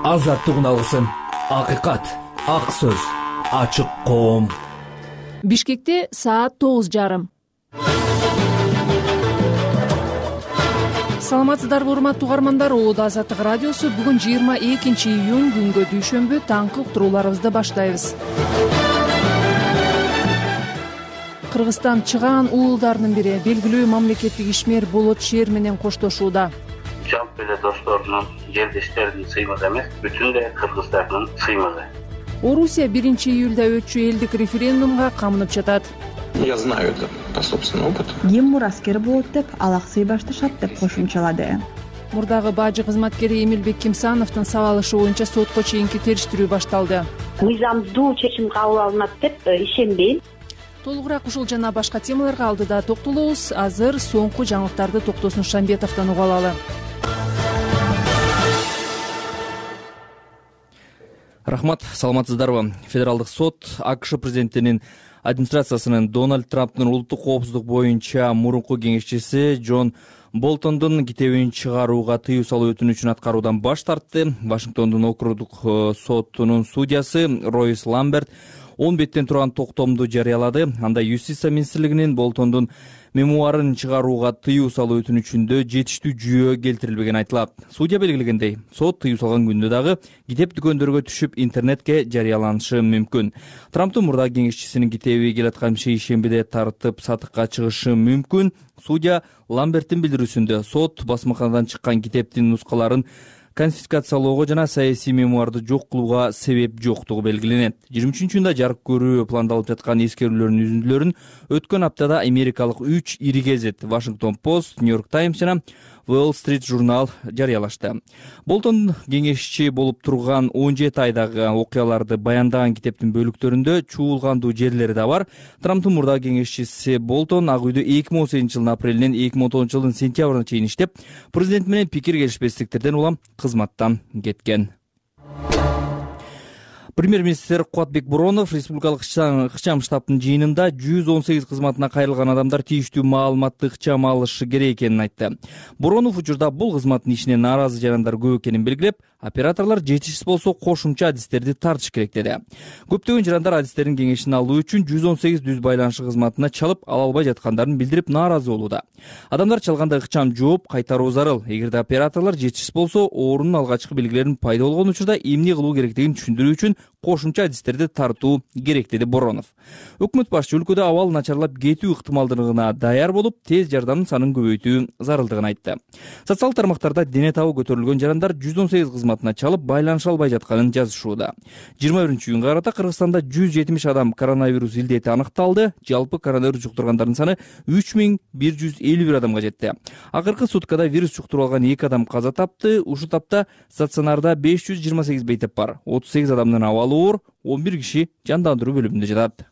азаттыгын алгысың. Акыйкат, ак сөз, ачык коом. Бишкекте саат 9:30. Саламатсыздарбы урматтуу угармандар, Улуу Азаттык радиосу бүгүн 22 июнь күнгө дүйшөмбү таңкы уктурууларыбызды баштайбыз. Кыргызстан чыгаан уулдарынын бири белгилүү мамлекеттик ишмер Болот Шер менен коштошууда. Жалпы эле досторунун, жердештеринин сыймыгы эмес, бүтүн эле кыргыздардын сыймыгы. Орусия 1 июлда өтчү элдик референдумга камынып жатат. Я знаю это по собственному опыту. Ким мураскер болот деп алаксый башташат деп кошумчалады. Мурдагы бажы кызматкери Эмилбек Кимсановдун сабалышы боюнча сотко чейинки териштирүү башталды. Мыйзамдуу чечим кабыл алынат деп ишенбейм. Толугураак ушул жана башка темаларга алдыда токтолобуз. Азыр соңку жаңылыктарды Токтосун Шамбетовдон угуп алалы. Рахмат, саламатсыздарбы. Федералдык сот АКШ президентинин администрациясынын Дональд Трамптын улуттук коопсуздук боюнча мурунку кеңешчиси Джон Болтондун китебин чыгарууга тыюу салуу өтүнүчүн аткаруудан баш тартты. Вашингтондун округдук сотунун судьясы Ройс Ламберт 10 беттен турган токтомду жарыялады. Анда Юстиция министрлигинин Болтондун мемуарын чыгарууга тыюу салуу өтүнүчүндө жетиштүү жүйө келтирилбегени айтылат. Судья белгилегендей, сот тыюу салган күндө дагы китеп дүкөндөргө түшүп интернетке жарыяланышы мүмкүн. Трамптын мурдагы кеңешчисинин китеби келаткан шейшембиде тартып сатыкка чыгышы мүмкүн. Судья Ламберттин билдирүүсүндө сот басмаканадан чыккан китептин нускаларын конфискациялоого жана саясий мемуарды жок кылууга себеп жоктугу белгиленет. 23-июнда жарык көрүү пландалып жаткан эскерүүлөрдүн үзүндүлөрүн өткөн аптада америкалык 3 ири гезит Washington Post, New York Times жана Wall Street журнал жарыялашты. Болтон кеңешчи болуп турган 17 айдагы окуяларды баяндаган китептин бөлүктөрүндө чуулгандуу жерлери да бар. Трамптын мурдагы кеңешчиси Болтон Ак үйдө 2018 жылдын апрелинен 2019 жылдын сентябрына чейин иштеп, президент менен пикир келишпестиктерден улам кызматтан кеткен. Премьер-министр Кубатбек Боронов республикалык ыкчам штабтын жыйынында 118 кызматына кайрылган адамдар тийиштүү маалыматты ыкчам алышы керек экенин айтты. Боронов учурда бул кызматтын ишине нааразы жарандар көп экенин белгилеп, операторлор жетишсиз болсо кошумча адистерди тартыш керек деди. Көптөгөн жарандар адистердин кеңешин алуу үчүн 118 дүз байланышы кызматына чалып ала албай жаткандарын билдирип нааразы болууда. Адамдар чалганда ыкчам жооп кайтаруу зарыл. Эгерде операторлор жетишсиз болсо, оорунун алгачкы белгилерин пайда болгон учурда эмне кылуу керектигин түшүндүрүү үчүн кошумча адистерди тартуу керек деди Боронов. Өкмөт башчы өлкөдө абал начарлап кетүү ыктымалдыгына даяр болуп, тез жардамдын санын көбөйтүү зарылдыгын айтты. Социалдык тармактарда дене табы көтөрүлгөн жарандар 118 кызматына чалып байланыша албай жатканын жазышууда. 21-июнга карата Кыргызстанда 170 адам коронавирус илдети аныкталды. Жалпы коронавирус жуктургандардын саны 3151 адамга жетти. Акыркы суткада вирус жуктуруп алган 2 адам каза тапты. Ушул тапта стационарда 528 бейтеп бар. 38 адамдын абалы оор, 11 киши жандандыруу бөлүмүндө жатат.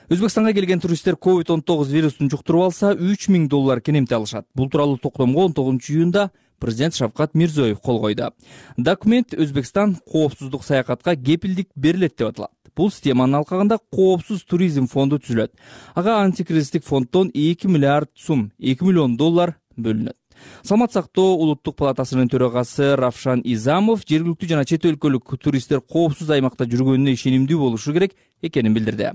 Өзбекстанга келген туристтер COVID-19 вирусун жуктуруп алса, $3000 кенемти алышат. Бул тууралуу токтомго 19-июнда президент Шавкат Мирзиёев кол койду. Документ Өзбекстан коопсуздук саякатка кепилдик берилет деп аталат. Бул системанын алкагында коопсуз туризм фонду түзүлөт. Ага антикризистик фонддон 2 миллиард сум, $2 миллион бөлүнөт. Саламат сактоо улуттук палатасынын төрагасы Равшан Изамов жергиликтүү жана чет өлкөлүк туристтер коопсуз аймакта жүргөнүнө ишенимдүү болушу керек экенин билдирди.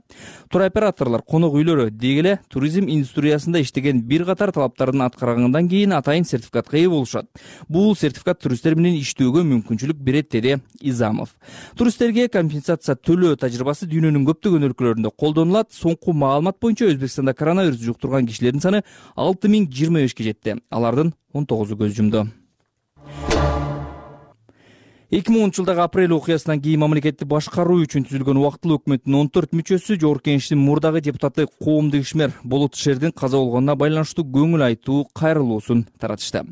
Туроператорлор, конок үйлөрү деги эле туризм индустриясында иштеген бир катар талаптарын аткаргандан кийин атайын сертификатка ээ болушат. Бул сертификат туристтер менен иштөөгө мүмкүнчүлүк берет, деди Изамов. Туристтерге компенсация төлөө тажрыйбасы дүйнөнүн көптөгөн өлкөлөрүндө колдонулат. Соңку маалымат боюнча Өзбекстанда коронавирус жуктурган кишилердин саны 6025 жетти. Алардын 19 көз жумду. 2010 жылдагы апрель окуясынан кийин мамлекетти башкаруу үчүн түзүлгөн убактылуу өкмөттүн 14 мүчөсү Жогорку Кеңештин мурдагы депутаты коомдук ишмер Болот Шердин каза болгонуна байланыштуу көңүл айтуу кайрылуусун таратышты.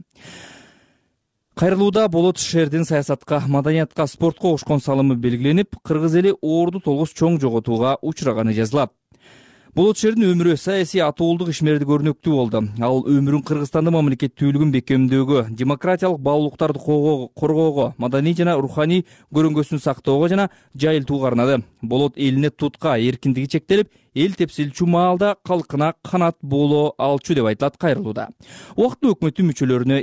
Кайрылууда Болот Шердин саясатка, маданиятка, спортко кошкон салымы белгиленип, кыргыз эли оорду толгус чоң жоготууга учураганы жазылат. Болот Шердин өмүрү саясий атуулдук ишмерди көрнөктүү болду. Ал өмүрүн Кыргызстандын мамлекеттүүлүгүн бекемдөөгө, демократиялык баалуулуктарды коргоого, маданий жана руханий көрүнгөсүн сактоого жана жайылтууга арнады. Болот элине тутка, эркиндиги чектелип, эл тепсилчү маалда калкына канат боло алчу деп айтылат кайрылууда. Убактылуу өкмөттүн мүчөлөрүнө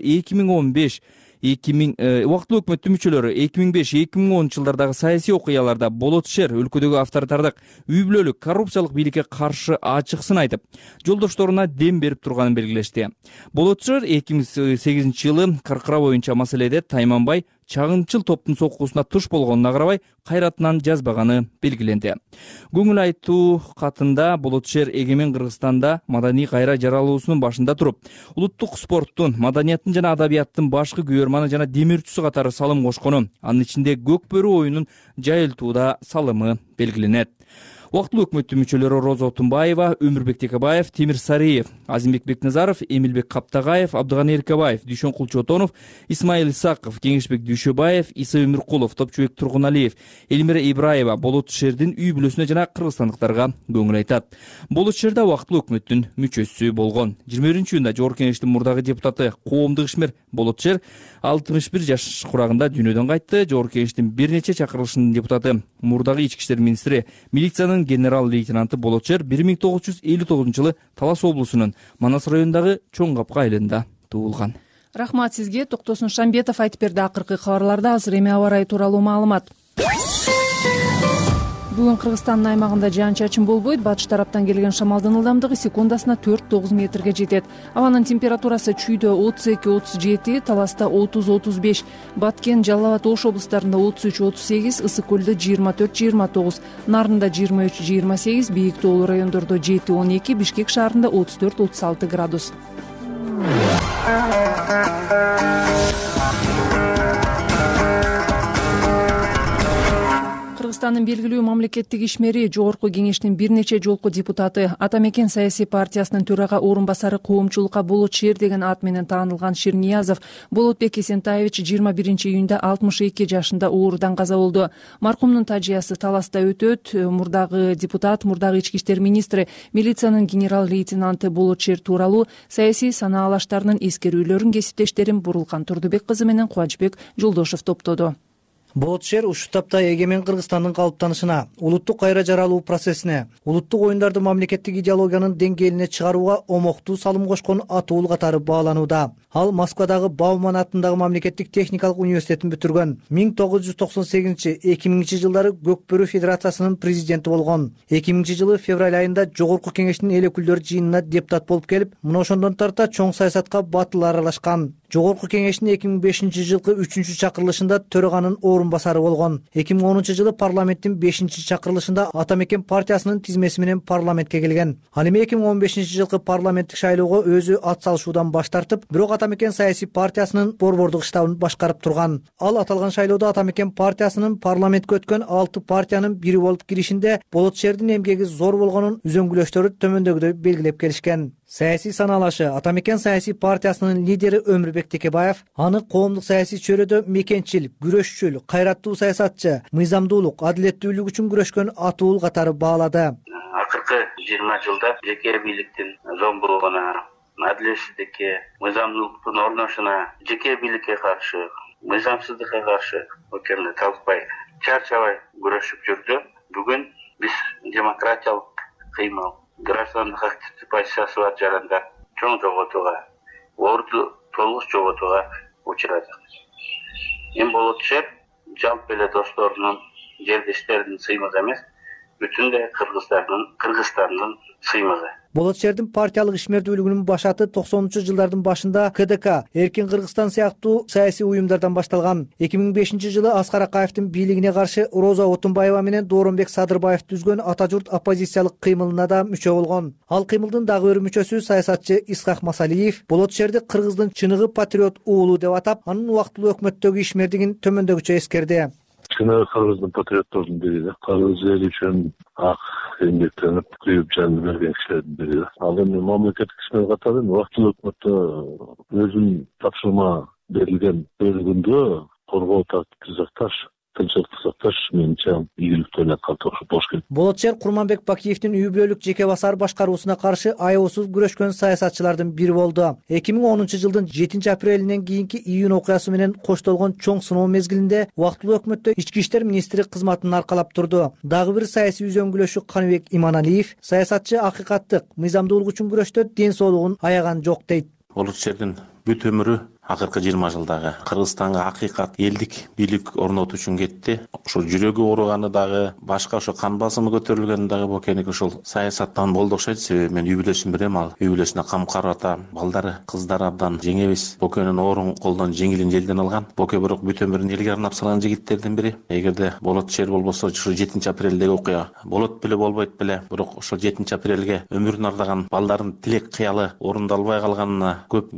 убактылуу өкмөттүн мүчөлөрү 2005-2010 жылдардагы саясий окуяларда болот шер өлкөдөгү авторитардык үй бүлөлүк коррупциялык бийликке каршы ачык сын айтып, жолдошторуна дем берип турганын белгилешти. Болот шер 2008 жылы Каркыра боюнча маселеде Тайманбай чагынчыл топтун соккусуна туш болгонуна карабай кайратынан жазбаганы белгиленди. Көңүл айтуу катында Болот шер эгемен Кыргызстанда маданий кайра жаралуусунун башында туруп, улуттук спорттун, маданияттын жана адабияттын башкы күбөрманы жана демирчүсү катары салым кошкону, анын ичинде көк бөрү оюнун жайылтууда салымы белгиленет. Убактылуу өкмөттүн мүчөлөрү Роза Отунбаева, Өмүрбек Текебаев, Тимир Сариев, Азимбек Бекназаров, Эмилбек Каптагаев, Абдыганы Эркебаев, Дүйшөн Кулчотонов, Исмаил Исаков, Кеңешбек Дүйшөбаев, Иса Өмүркулов, Топчубек Тургуналиев, Элмира Ибраева Болот шердин үй бүлөсүнө жана кыргызстандыктарга көңүл айтат. Болот шер да убактылуу өкмөттүн мүчөсү болгон. 21-июнда Жогорку Кеңештин мурдагы депутаты, коомдук ишмер Болот шер 61 жаш курагында дүйнөдөн кайтты. Жогорку Кеңештин бир нече чакырылышынын депутаты, мурдагы ички иштер министри, милициянын генерал-лейтенанты Болот шер 1959 жылы Талас облусунун Манас районундагы Чоң Капка айылында туулган. Рахмат сизге. Токтосун Шамбетов айтып берди акыркы кабарларда. Азыр эми аба ырайы тууралуу маалымат. Бүгүн Кыргызстандын аймагында жаан-чачын болбойт. Батыш тараптан келген шамалдын ылдамдыгы секундасына 4-9 метрге жетет. Абанын температурасы Чүйдө 32-37, Таласта 30-35, Баткен, Жалал абад, Ош облустарында 33-38, Ысык көлдө 24-29, Нарында 23-28, Бийик тоолуу райондордо 7-12, Бишкек шаарында 34-36 градус. Кыргызстандын белгилүү мамлекеттик ишмери, Жогорку Кеңештин бир нече жолку депутаты, Ата Мекен саясий партиясынын төрага орун басары коомчулукка Болот шер деген ат менен таанылган Ширниязов Болотбек Эсентаевич 21-июнда 62 жашында оорудан каза болду. Маркумдун тажыясы Таласта өтөт. Мурдагы депутат, мурдагы ички иштер министри, милициянын генерал-лейтенанты Болот шер тууралуу саясий санаа алаштарынын эскерүүлөрүн кесиптештерим Бурулкан Турдубек кызы менен Кубанычбек Жолдошев топтоду. Болот шер ушул тапта эгемен Кыргызстандын калыптанышына, улуттук кайра жаралуу процессине, улуттук оюндарды мамлекеттик идеологиянын деңгээлине чыгарууга омоктуу салым кошкон атуул катары бааланууда. Ал Москвадагы Бауман атындагы мамлекеттик техникалык университетин бүтүргөн. 1998-2000 жылдары Көкбөрү Федерациясынын президенти болгон. 2000 жылы февраль айында Жогорку Кеңештин эл өкүлдөрү жыйынына депутат болуп келип, мына ошондон тарта чоң саясатка батыл аралашкан. Жогорку Кеңештин 2005 жылкы 3-чакырылышында төраганын орун басары болгон. 2010 жылы парламенттин 5-чакырылышында Ата Мекен партиясынын тизмеси менен парламентке келген. Ал эми 2015 жылкы парламенттик шайлоого өзү ат салышуудан баш тартып, бирок Ата Мекен саясий партиясынын борбордук штабын башкарып турган. Ал аталган шайлоодо Ата Мекен партиясынын парламентке өткөн 6 партиянын бири болуп киришинде Болот шердин эмгеги зор болгонун үзөңгүлөштөрү төмөндөгүдөй белгилеп келишкен. Саясий санаалашы Ата Мекен саясий партиясынын лидери Өмүрбек Текебаев аны коомдук саясий чөйрөдө мекенчил, күрөшчүл, кайраттуу саясатчы, мыйзамдуулук, адилеттүүлүк үчүн күрөшкөн атуул катары баалады. Акыркы 20 жылда жеке бийликтин зомбулугуна, адилетсиздикке, мыйзамдуулуктун орношуна, жеке бийликке каршы, мыйзамсыздыкка каршы өкмөт талкпай, чарчабай күрөшүп жүрдү. Бүгүн биз демократиялык кыймыл, граждандык активдүү позициясы бар жаранда чоң жоготууга, орду толук жоготууга учурадык. Эми Болот шер жалпы эле досторунун, жердештеринин сыймыгы эмес, бүтүндөй Кыргызстандын сыймыгы. Болот шердин партиялык ишмердүүлүгүнүн башаты 90-жылдардын башында КДК, Эркин Кыргызстан сыяктуу саясий уюмдардан башталган. 2005 жылы Аскар Акаевдин бийлигине каршы Роза Отунбаева менен Дооронбек Садырбаев түзгөн Ата журт оппозициялык кыймылына да мүчө болгон. Ал кыймылдын дагы бир мүчөсү саясатчы Исхак Масалиев Болот шерди Кыргыздын чыныгы патриот уулу деп атап, анын убактылуу өкмөттөгү ишмердигин төмөндөгүчө эскерди. Чыныгы Кыргыздын патриоттордун бири да. Кыргыз эли үчүн ак эмгектенип, күйүп жанын берген кишилердин бири да. Ал эми мамлекеттик ишмер катары убактылуу өкмөттө өзүнүн тапшырма берилген бөлүгүндө коргоо сакташ, тынччылыкты сакташ менимче ийгиликтүү калыпташып болуш керек. Болот шер Курманбек Бакиевдин үй бүлөлүк жеке басар башкаруусуна каршы аябасыз күрөшкөн саясатчылардын бири болду. 2010 жылдын 7 апрелинен кийинки июнь окуясы менен коштолгон чоң сыноо мезгилинде убактылуу өкмөттө ички иштер министри кызматын аркалап турду. Дагы бир саясий үзөңгүлөшү Каныбек Иманалиев саясатчы акыйкаттык, мыйзамдуулук үчүн күрөштө ден соолугун аяган жок дейт. Болот шердин бүт өмүрү акыркы 20 жылдагы Кыргызстанга акыйкат элдик бийлик орнотуу үчүн кетти. Ошол жүрөгү ооруганы дагы, башка ошо кан басымы көтөрүлгөнү дагы Бокеники ошол саясаттан болду окшойт. Себеби мен үй бүлөсүн билем, ал үй бүлөсүнө кам карап атам, балдары, кыздары абдан жеңебиз. Бокенин оорун колдон жеңилин желден алган. Боке бирок бүт өмүрүн элге арнап салган жигиттердин бири. Эгерде Болот шер болбосо, ошо 7 апрелдеги окуя болот беле болбойт беле. Бирок ошол 7 апрелге өмүрүн ардаган балдардын тилек кыялы орундалбай калганына көп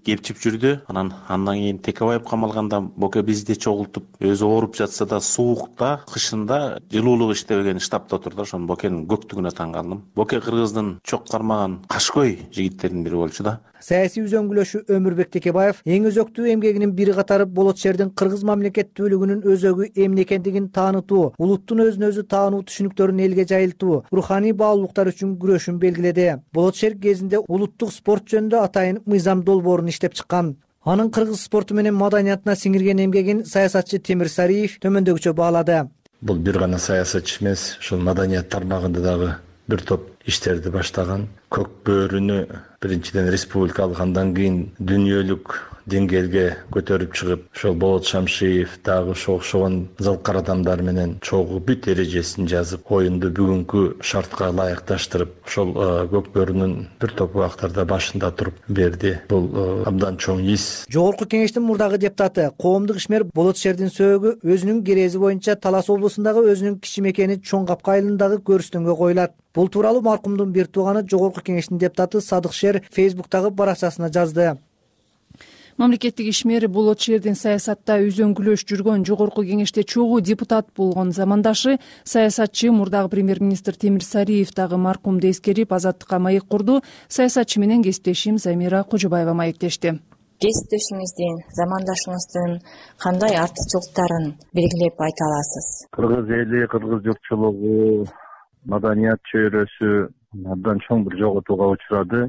кепчип жүрдү. Андан кийин Текебаев камалганда Боке бизди чогултуп, өзү ооруп жатса да суукта, кышында жылуулук иштебеген штабта отурду. Ошонун Бокенин көктүгүнө таң калдым. Боке Кыргыздын чок кармаган кашкой жигиттердин бири болчу да. Саясий үзөңгүлөшү Өмүрбек Текебаев эң өзөктүү эмгегинин бири катары Болот шердин кыргыз мамлекеттүүлүгүнүн өзөгү эмне экендигин таанытуу, улуттун өзүн өзү таануу түшүнүктөрүн элге жайылтуу, руханий баалуулуктар үчүн күрөшүн белгиледи. Болот шер кезинде улуттук спорт жөнүндө атайын мыйзам долбоорун иштеп чыккан. Анын кыргыз спорту менен маданиятына сиңирген эмгегин саясатчы Темир Сариев төмөндөгүчө баалады. Бул бир гана саясатчы эмес, ушул маданият тармагында дагы бир топ иштерди баштаган. Көк бөөрүнү биринчиден республикалык, андан кийин дүйнөлүк деңгээлге көтөрүп чыгып, ошол Болот Шамшиев дагы ошогон залкар адамдар менен чогуу бүт эрежесин жазып, оюнду бүгүнкү шартка ылайыкташтырып, ошол көк бөөрүнүн бир топ убактарда башында туруп берди. Бул абдан чоң ис. Жогорку кеңештин мурдагы депутаты, коомдук ишмер Болот шердин сөөгү өзүнүн керези боюнча Талас облусундагы өзүнүн кичи мекени Чоң Капка айылындагы көрүстөнгө коюлат. Бул тууралуу маркумдун бир тууганы Жогорку кеңештин депутаты Садык Шер Фейсбуктагы баракчасына жазды. Мамлекеттик ишмер Болот шердин саясатта үзөңгүлөш жүргөн Жогорку кеңеште чогуу депутат болгон замандашы саясатчы мурдагы премьер-министр Темир Сариев дагы маркумду эскерип, азаттыкка маек курду. Саясатчы менен кесиптешим Замира Кожобаева маектешти. Кесиптешиңиздин, замандашыңыздын кандай артыкчылыктарын белгилеп айта аласыз? Кыргыз эли, кыргыз журтчулугу, маданият чөйрөсү абдан чоң бир жоготууга учурады.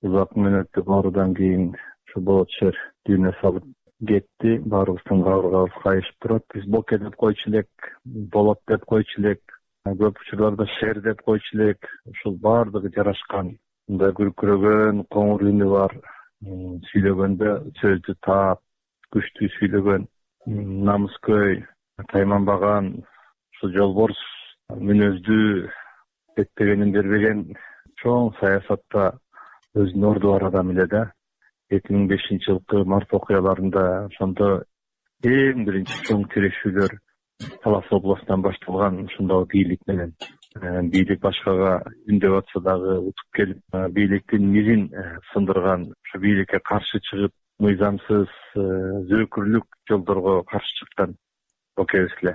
Узак мөөнөттүк оорудан кийин ушу Болот шер дүйнө салып кетти. Баарыбыздын кабыргабыз кайышып турат. Биз Боке деп койчу элек, Болот деп койчу элек, көп учурларда шер деп койчу элек. Ушул баардыгы жарашкан. Мындай күркүрөгөн, коңур үнү бар. Сүйлөгөндө сөздү таап, күчтүү сүйлөгөн, намыскөй, тайманбаган, ушул жолборс мүнөздүү, беттегенин бербеген чоң саясатта өзүнүн орду бар адам эле да. 2005-жылкы март окуяларында ошондо эң биринчи чоң тирешүүлөр Талас областынан башталган. Ошондогу бийлик менен бийлик башкага үндөп атса дагы утуп келип, бийликтин мирин сындырган, ошо бийликке каршы чыгып, мыйзамсыз зөөкүрлүк жолдорго каршы чыккан Бокебиз эле.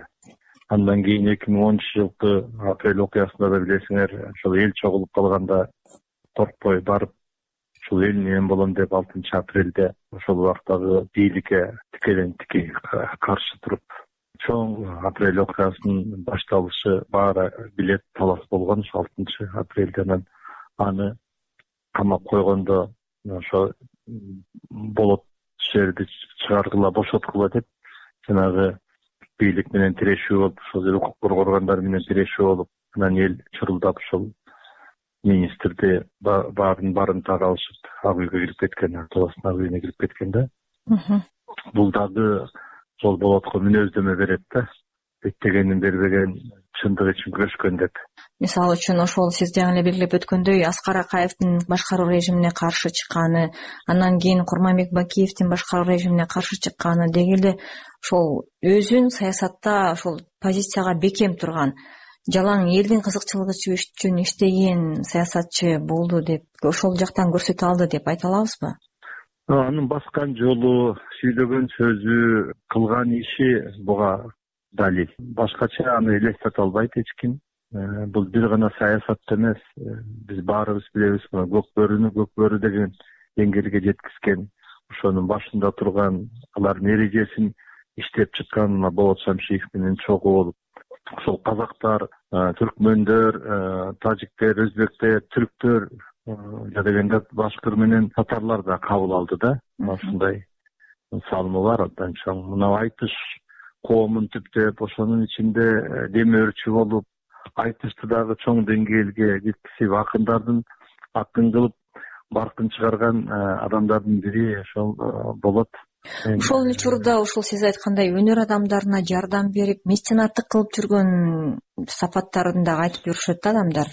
Андан кийин 2010-жылкы апрель окуясында да билесиңер, ошол эл чогулуп калганда коркпой барып, ушул эл менен болом деп 6-апрелде ошол убактагы бийликке тикелен-тики каршы туруп, чоң апрель окуясынын башталышы баары билет Талас болгон. 6-апрелде анан аны камап койгондо ошо Болот шерди чыгаргыла, бошоткула деп жанагы бийлик менен тирешүү болуп, ошол укук коргоо органдары менен тирешүү болуп, анан эл чурулдап ошол министрди баарын таап алышып, ак үйгө кирип кеткен, Таластын ак үйүнө кирип кеткен да. Бул дагы сол Болотко мүнөздөмө берет да. Беттегенин бербеген, чындык үчүн күрөшкөн деп. Мисалы үчүн ошол сиз жаңы эле белгилеп өткөндөй Аскар Акаевдин башкаруу режимине каршы чыкканы, андан кийин Курманбек Бакиевдин башкаруу режимине каршы чыкканы, деги эле ошол өзүн саясатта ошол позицияга бекем турган, жалаң элдин кызыкчылыгы үчүн иштеген саясатчы болду деп, ошол жактан көрсөтө алды деп айта алабызбы? Анын баскан жолу, сүйлөгөн сөзү, кылган иши буга далил. Башкача аны элестете албайт эч ким. Бул бир гана саясат эмес. Биз баарыбыз билебиз, көк бөөрү деген деңгээлге жеткизген, ошонун башында турган, алардын эрежесин иштеп чыккан Болот Шамшиев менен чогуу болуп, ошол казактар, түркмөндөр, тажиктер, өзбектер, түрктөр, дегенде башкыр менен татарлар да кабыл алды да. Ушундай салымы бар абдан чоң. Мына айтыш коомун түптөп, ошонун ичинде демөөрчү болуп, айтышты дагы чоң деңгээлге жеткизип, акындардын акын кылып, баркын чыгарган адамдардын бири ошол болот. Ошол эле учурда ушул сиз айткандай өнөр адамдарына жардам берип, меценаттык кылып жүргөн сапаттарын дагы айтып жүрүшөт да адамдар.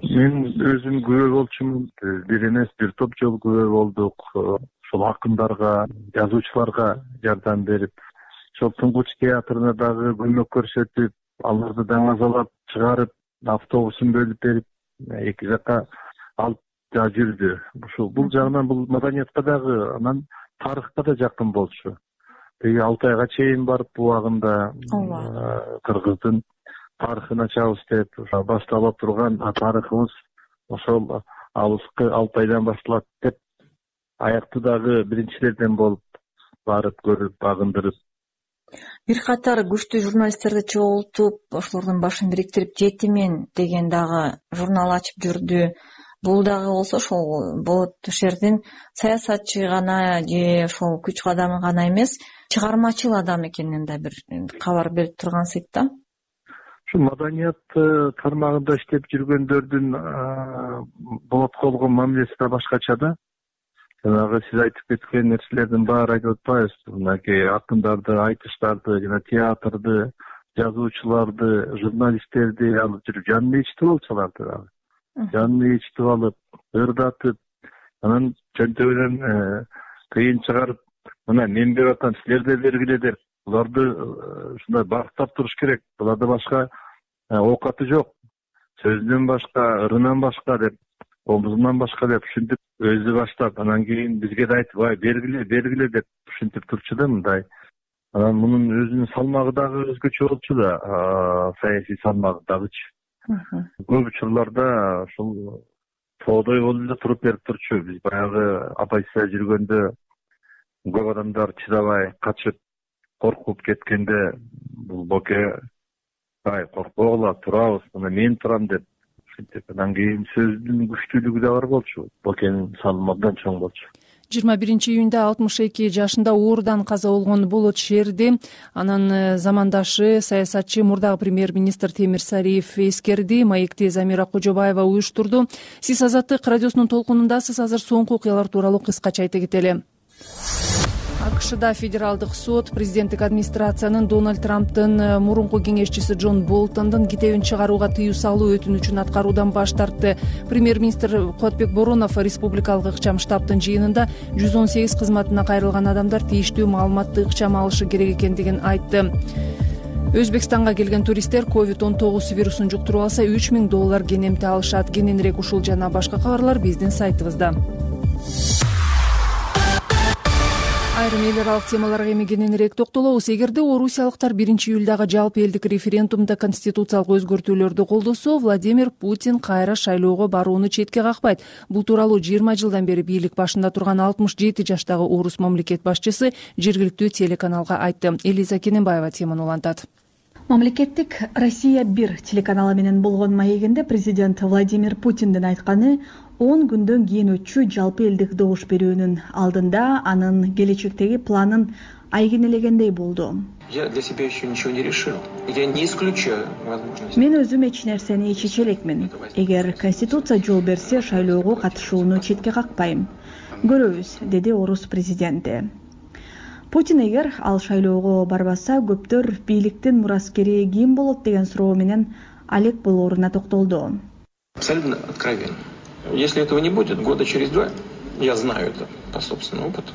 Мен өзүм күбө болчумун. Бир эмес, бир топ жолу күбө болдук. Ошол акындарга, жазуучуларга жардам берип, ошол Туңгуч театрына дагы көмөк көрсөтүп, аларды даңазалап чыгарып, автобусун бөлүп берип, эки жакка алып жүрдү. Бул жагынан бул маданиятка дагы, анан тарыхка да жакын болчу. Теги Алтайга чейин барып убагында кыргыздын тарыхын ачабыз деп баштала турган тарыхыбыз ошол алыскы Алтайдан башталат деп аяктуу дагы биринчилерден болуп барып көрүп, багындырып. Бир катар күчтүү журналисттерди чогултуп, ошолордун башын бириктирип, Жети мен деген дагы журнал ачып жүрдү. Бул дагы болсо ошол болот ушердин саясатчы гана же ошол күч адамы гана эмес, чыгармачыл адам экенинен да бир кабар берип тургансыз да. Ушу маданият тармагында иштеп жүргөндөрдүн болотко болгон мамилеси да башкача да. Жанагы сиз айтып кеткен нерселердин баары айтып атпайбыз. Мынакей акындарды, айтыштарды, жана театрды, жазуучуларды, журналисттерди алып жүрүп жанын ичтип алчу аларды дагы. Жанын ичтип алып, ырдатып, анан чөнтөгүнөн кыйын чыгарып, мына мен берип атам, силер да бергиле деп, буларды ушундай бактап туруш керек. Буларда башка оокаты жок. Сөзүнөн башка, ырынан башка деп, обузунан башка деп ушинтип өзү баштап, анан кийин бизге да айтып, бергиле деп ушинтип турчу да мындай. Анан мунун өзүнүн салмагы дагы өзгөчө болчу да, саясий салмагы дагычы. Көп учурларда ушул тоодой болуп эле туруп берип турчу. Биз баягы оппозиция жүргөндө көп адамдар чыдабай качып, коркуп кеткенде бул Боке коркпогула, турабыз, мына мен турам деп ушинтип, анан кийин сөздүн күчтүүлүгү да бар болчу. Бокенин салымы абдан чоң болчу. 21-июнда 62 жашында оорудан каза болгон Болот Шерди анын замандашы саясатчы мурдагы премьер-министр Темир Сариев эскерди. Маекти Замира Кожобаева уюштурду. Сиз Азаттык радиосунун толкунундасыз. Азыр соңку окуялар тууралуу кыскача айта кетели. АКШда федералдык сот президенттик администрациянын Дональд Трамптын мурунку кеңешчиси Джон Болтондун китебин чыгарууга тыюу салуу өтүнүчүн аткаруудан баш тартты. Премьер-министр Куатбек Боронов республикалык ыкчам штабтын жыйынында 118 кызматына кайрылган адамдар тийиштүү маалыматты ыкчам алышы керек экендигин айтты. Өзбекстанга келген туристтер COVID-19 вирусун жуктуруп алса $3000 кенемти алышат. Кененирээк ушул жана башка кабарлар биздин сайтыбызда. Айрым эл аралык темаларга эми кененирээк токтолобуз. Эгерде орусиялыктар 1-июлдагы жалпы элдик референдумда конституциялык өзгөртүүлөрдү колдосо, Владимир Путин кайра шайлоого барууну четке какпайт. Бул тууралуу 20 жылдан бери бийлик башында турган 67 жаштагы орус мамлекет башчысы жергиликтүү телеканалга айтты. Элиза Кененбаева теманы улантат. Мамлекеттик Россия-1 телеканалы менен болгон маегинде президент Владимир Путиндин айтканы 10 күндөн кийин өтчү жалпы элдик добуш берүүнүн алдында анын келечектеги планын айгинелегендей болду. Я для себя еще ничего не решил. Я не исключаю возможность. Мен өзүм эч нерсени чече элекмин. Эгер конституция жол берсе, шайлоого катышууну четке какпайм. Көрөбүз, деди орус президенти. Путин эгер ал шайлоого барбаса, көптөр бийликтин мураскери ким болот деген суроо менен алек болооруна токтолду. Абсолютно откровенно. Если этого не будет, года через 2, я знаю это по собственному опыту.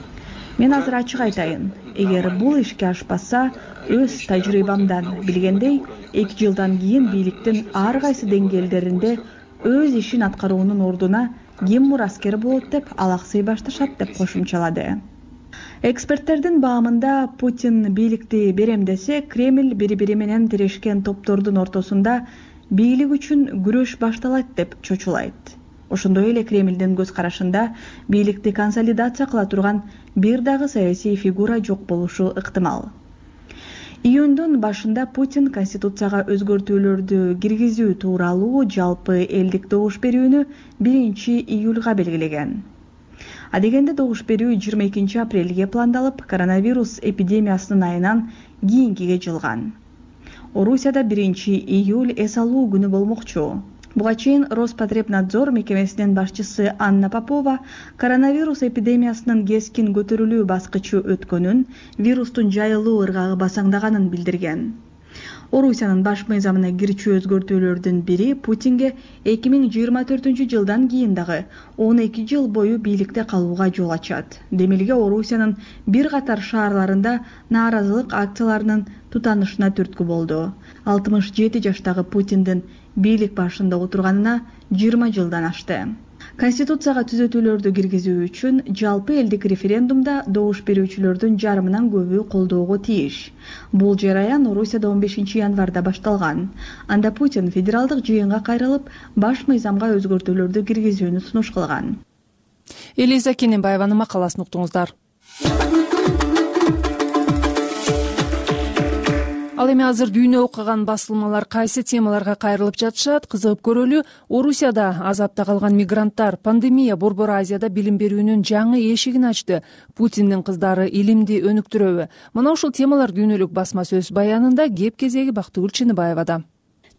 Мен азыр ачык айтайын. Эгер бул ишке ашпаса, өз тажрыйбамдан билгендей, 2 жылдан кийин бийликтин ар кайсы деңгээлдеринде өз ишин аткаруунун ордуна ким мураскер болот деп алаксый башташат деп кошумчалады. Эксперттердин баамында Путин бийликти берем десе, Кремль бири-бири менен тирешкен топтордун ортосунда бийлик үчүн күрөш башталат деп чочулайт. Ошондой эле Кремлдин көз карашында бийликти консолидация кыла турган бир дагы саясий фигура жок болушу ыктымал. Июндун башында Путин конституцияга өзгөртүүлөрдү киргизүү тууралуу жалпы элдик добуш берүүнү 1-июлга белгилеген. Адегенде добуш берүү 22 апрелге пландалып, коронавирус эпидемиясынын айынан кийинкиге жылган. Орусияда 1-июль эс алуу күнү болмокчу. Буга чейин Роспотребнадзор мекемесинин башчысы Анна Попова коронавирус эпидемиясынын кескин көтөрүлүү баскычы өткөнүн, вирустун жайылуу ыргагы басаңдаганын билдирген. Орусиянын баш мыйзамына кирчү өзгөртүүлөрдүн бири Путинге 2024 жылдан кийин дагы 12 жыл бою бийликте калууга жол ачат. Демилге Орусиянын бир катар шаарларында нааразылык акцияларынын тутанышына түрткү болду. 67 жаштагы Путиндин бийлик башында отурганына 20 жылдан ашты. Конституцияга түзөтүүлөрдү киргизүү үчүн жалпы элдик референдумда добуш берүүчүлөрдүн жарымынан көбү колдоого тийиш. Бул жараян Орусияда 15 январда башталган. Анда Путин федералдык жыйынга кайрылып, баш мыйзамга өзгөртүүлөрдү киргизүүнү сунуш кылган. Элиза Кененбаеванын макаласын уктуңуздар. Ал эми азыр дүйнө окуган басылмалар кайсы темаларга кайрылып жатышат, кызыгып көрөлү. Орусияда азапта калган мигранттар, пандемия Борбор Азияда билим берүүнүн жаңы эшигин ачты. Путиндин кыздары илимди өнүктүрөбү? Мына ушул темалар дүйнөлүк басма сөз баянында, кеп кезеги Бактыгүл Чыныбаевада.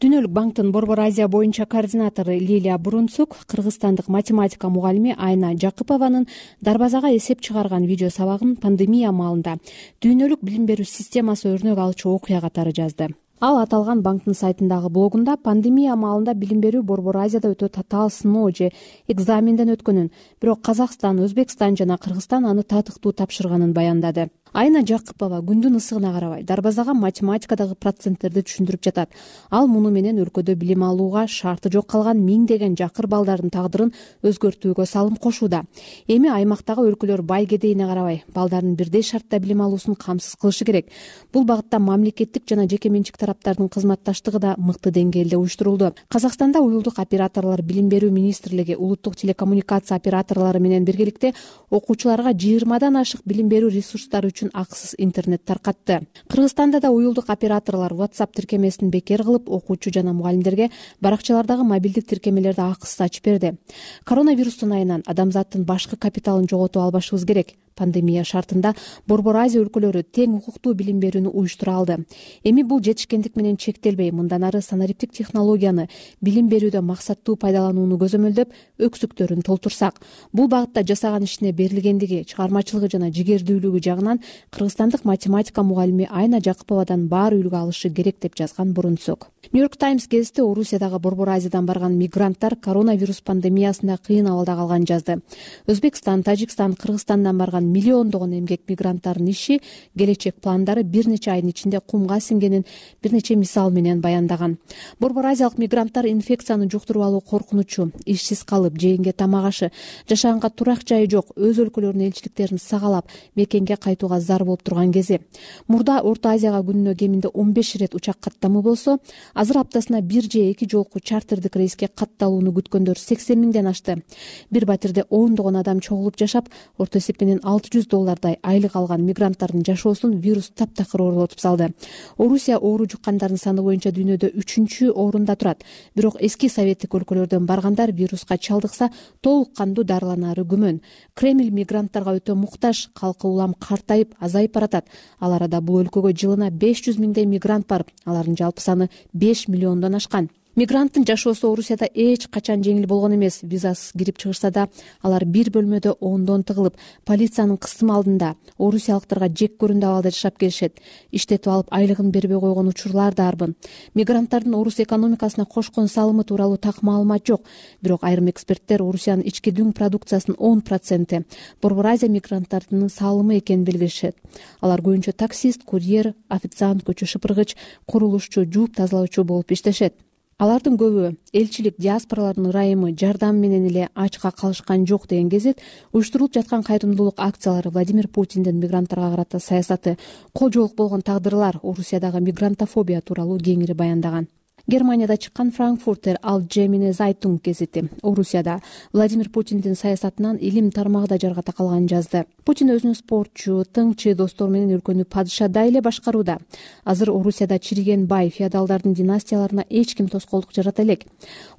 Дүйнөлүк банктын Борбор Азия боюнча координатору Лилия Бурунцук кыргызстандык математика мугалими Айна Жакыпованын дарбазага эсеп чыгарган видео сабагын пандемия маалында дүйнөлүк билим берүү системасы өрнөк алчу окуя катары жазды. Ал аталган банктын сайтындагы блогунда пандемия маалында билим берүү Борбор Азияда өтө татаал сыноо же экзаменден өткөнүн, бирок Казакстан, Өзбекстан жана Кыргызстан аны татыктуу тапшырганын баяндады. Айна Жакыпова күндүн ысыгына карабай дарбазага математикадагы проценттерди түшүндүрүп жатат. Ал муну менен өлкөдө билим алууга шарты жок калган миңдеген жакыр балдардын тагдырын өзгөртүүгө салым кошууда. Эми аймактагы өлкөлөр бай кедейине карабай балдардын бирдей шартта билим алуусун камсыз кылышы керек. Бул багытта мамлекеттик жана жеке менчик тараптардын кызматташтыгы да мыкты деңгээлде уюштурулду. Казакстанда уюлдук операторлор Билим берүү министрлиги улуттук телекоммуникация операторлору менен биргеликте окуучуларга 20дан ашык билим берүү ресурстары акысыз интернет таркатты. Кыргызстанда да уюлдук операторлор WhatsApp тиркемесин бекер кылып, окуучу жана мугалимдерге баракчалардагы мобилдик тиркемелерди акысыз ачып берди. Коронавирустун айынан адамзаттын башкы капиталын жоготуп албашыбыз керек. Пандемия шартында Борбор Азия өлкөлөрү тең укуктуу билим берүүнү уюштура алды. Эми бул жетишкендик менен чектелбей, мындан ары санариптик технологияны билим берүүдө максаттуу пайдаланууну көзөмөлдөп, өксүктөрүн толтурсак. Бул багытта жасаган ишине берилгендиги, чыгармачылыгы жана жигердүүлүгү жагынан кыргызстандык математика мугалими Айна Жакыповадан баары үлгү алышы керек деп жазган Бурунцук. Нью-Йорк Таймс гезити Орусиядагы Борбор Азиядан барган мигранттар коронавирус пандемиясында кыйын абалда калганын жазды. Өзбекстан, Тажикстан, Кыргызстандан барган миллиондогон эмгек мигранттардын иши, келечек пландары бир нече айдын ичинде кумга сиңгенин бир нече мисал менен баяндаган. Борбор Азиялык мигранттар инфекцияны жуктуруп алуу коркунучу, ишсиз калып, жегенге тамак ашы, жашаганга турак жайы жок, өз өлкөлөрүнүн элчиликтерин сагалап, мекенге кайтууга зар болуп турган кези. Мурда Орто Азияга күнүнө кеминде 15 ирет учак каттамы болсо, азыр аптасына бир же эки жолку чартердик рейске катталууну күткөндөр 80 миңден ашты. Бир батирде ондогон адам чогулуп жашап, орто эсеп менен $600 айлык алган мигранттардын жашоосун вирус таптакыр оорлотуп салды. Орусия оору жуккандардын саны боюнча дүйнөдө 3-чү орунда турат. Бирок эски советтик өлкөлөрдөн баргандар вируска чалдыкса, толук кандуу дарыланары күмөн. Кремль мигранттарга өтө муктаж, калкы улам картайып, азайып баратат. Ал арада бул өлкөгө жылына 500 миңдей мигрант барып, алардын жалпы саны 5 миллиондон ашкан. Мигранттын жашоосу Орусияда эч качан жеңил болгон эмес. Визасыз кирип чыгышса да, алар бир бөлмөдө ондон тыгылып, полициянын кысым алдында орусиялыктарга жек көрүндү абалда жашап келишет. Иштетип алып айлыгын бербей койгон учурлар да арбын. Мигранттардын орус экономикасына кошкон салымы тууралуу так маалымат жок. Бирок айрым эксперттер Орусиянын ички дүң продукциясынын 10% Борбор Азия мигранттарынын салымы экенин белгилешет. Алар көбүнчө таксист, курьер, официант, көчө шыпыргыч, курулушчу, жууп тазалоочу болуп иштешет. Алардын көбү элчилик, диаспоралардын ырайымы, жардам менен эле ачка калышкан жок деген гезит уюштурулуп жаткан кайрымдуулук акциялары, Владимир Путиндин мигранттарга карата саясаты, кол жоолук болгон тагдырлар, Орусиядагы мигрантофобия тууралуу кеңири баяндаган. Германияда чыккан Франкфуртер Allgemeine Zeitung гезити Орусияда Владимир Путиндин саясатынан илим тармагы да жарга такалганын жазды. Путин өзүнүн спортчу, тыңчы достору менен өлкөнү падышадай эле башкарууда. Азыр Орусияда чириген бай феодалдардын династияларына эч ким тоскоолдук жарата элек.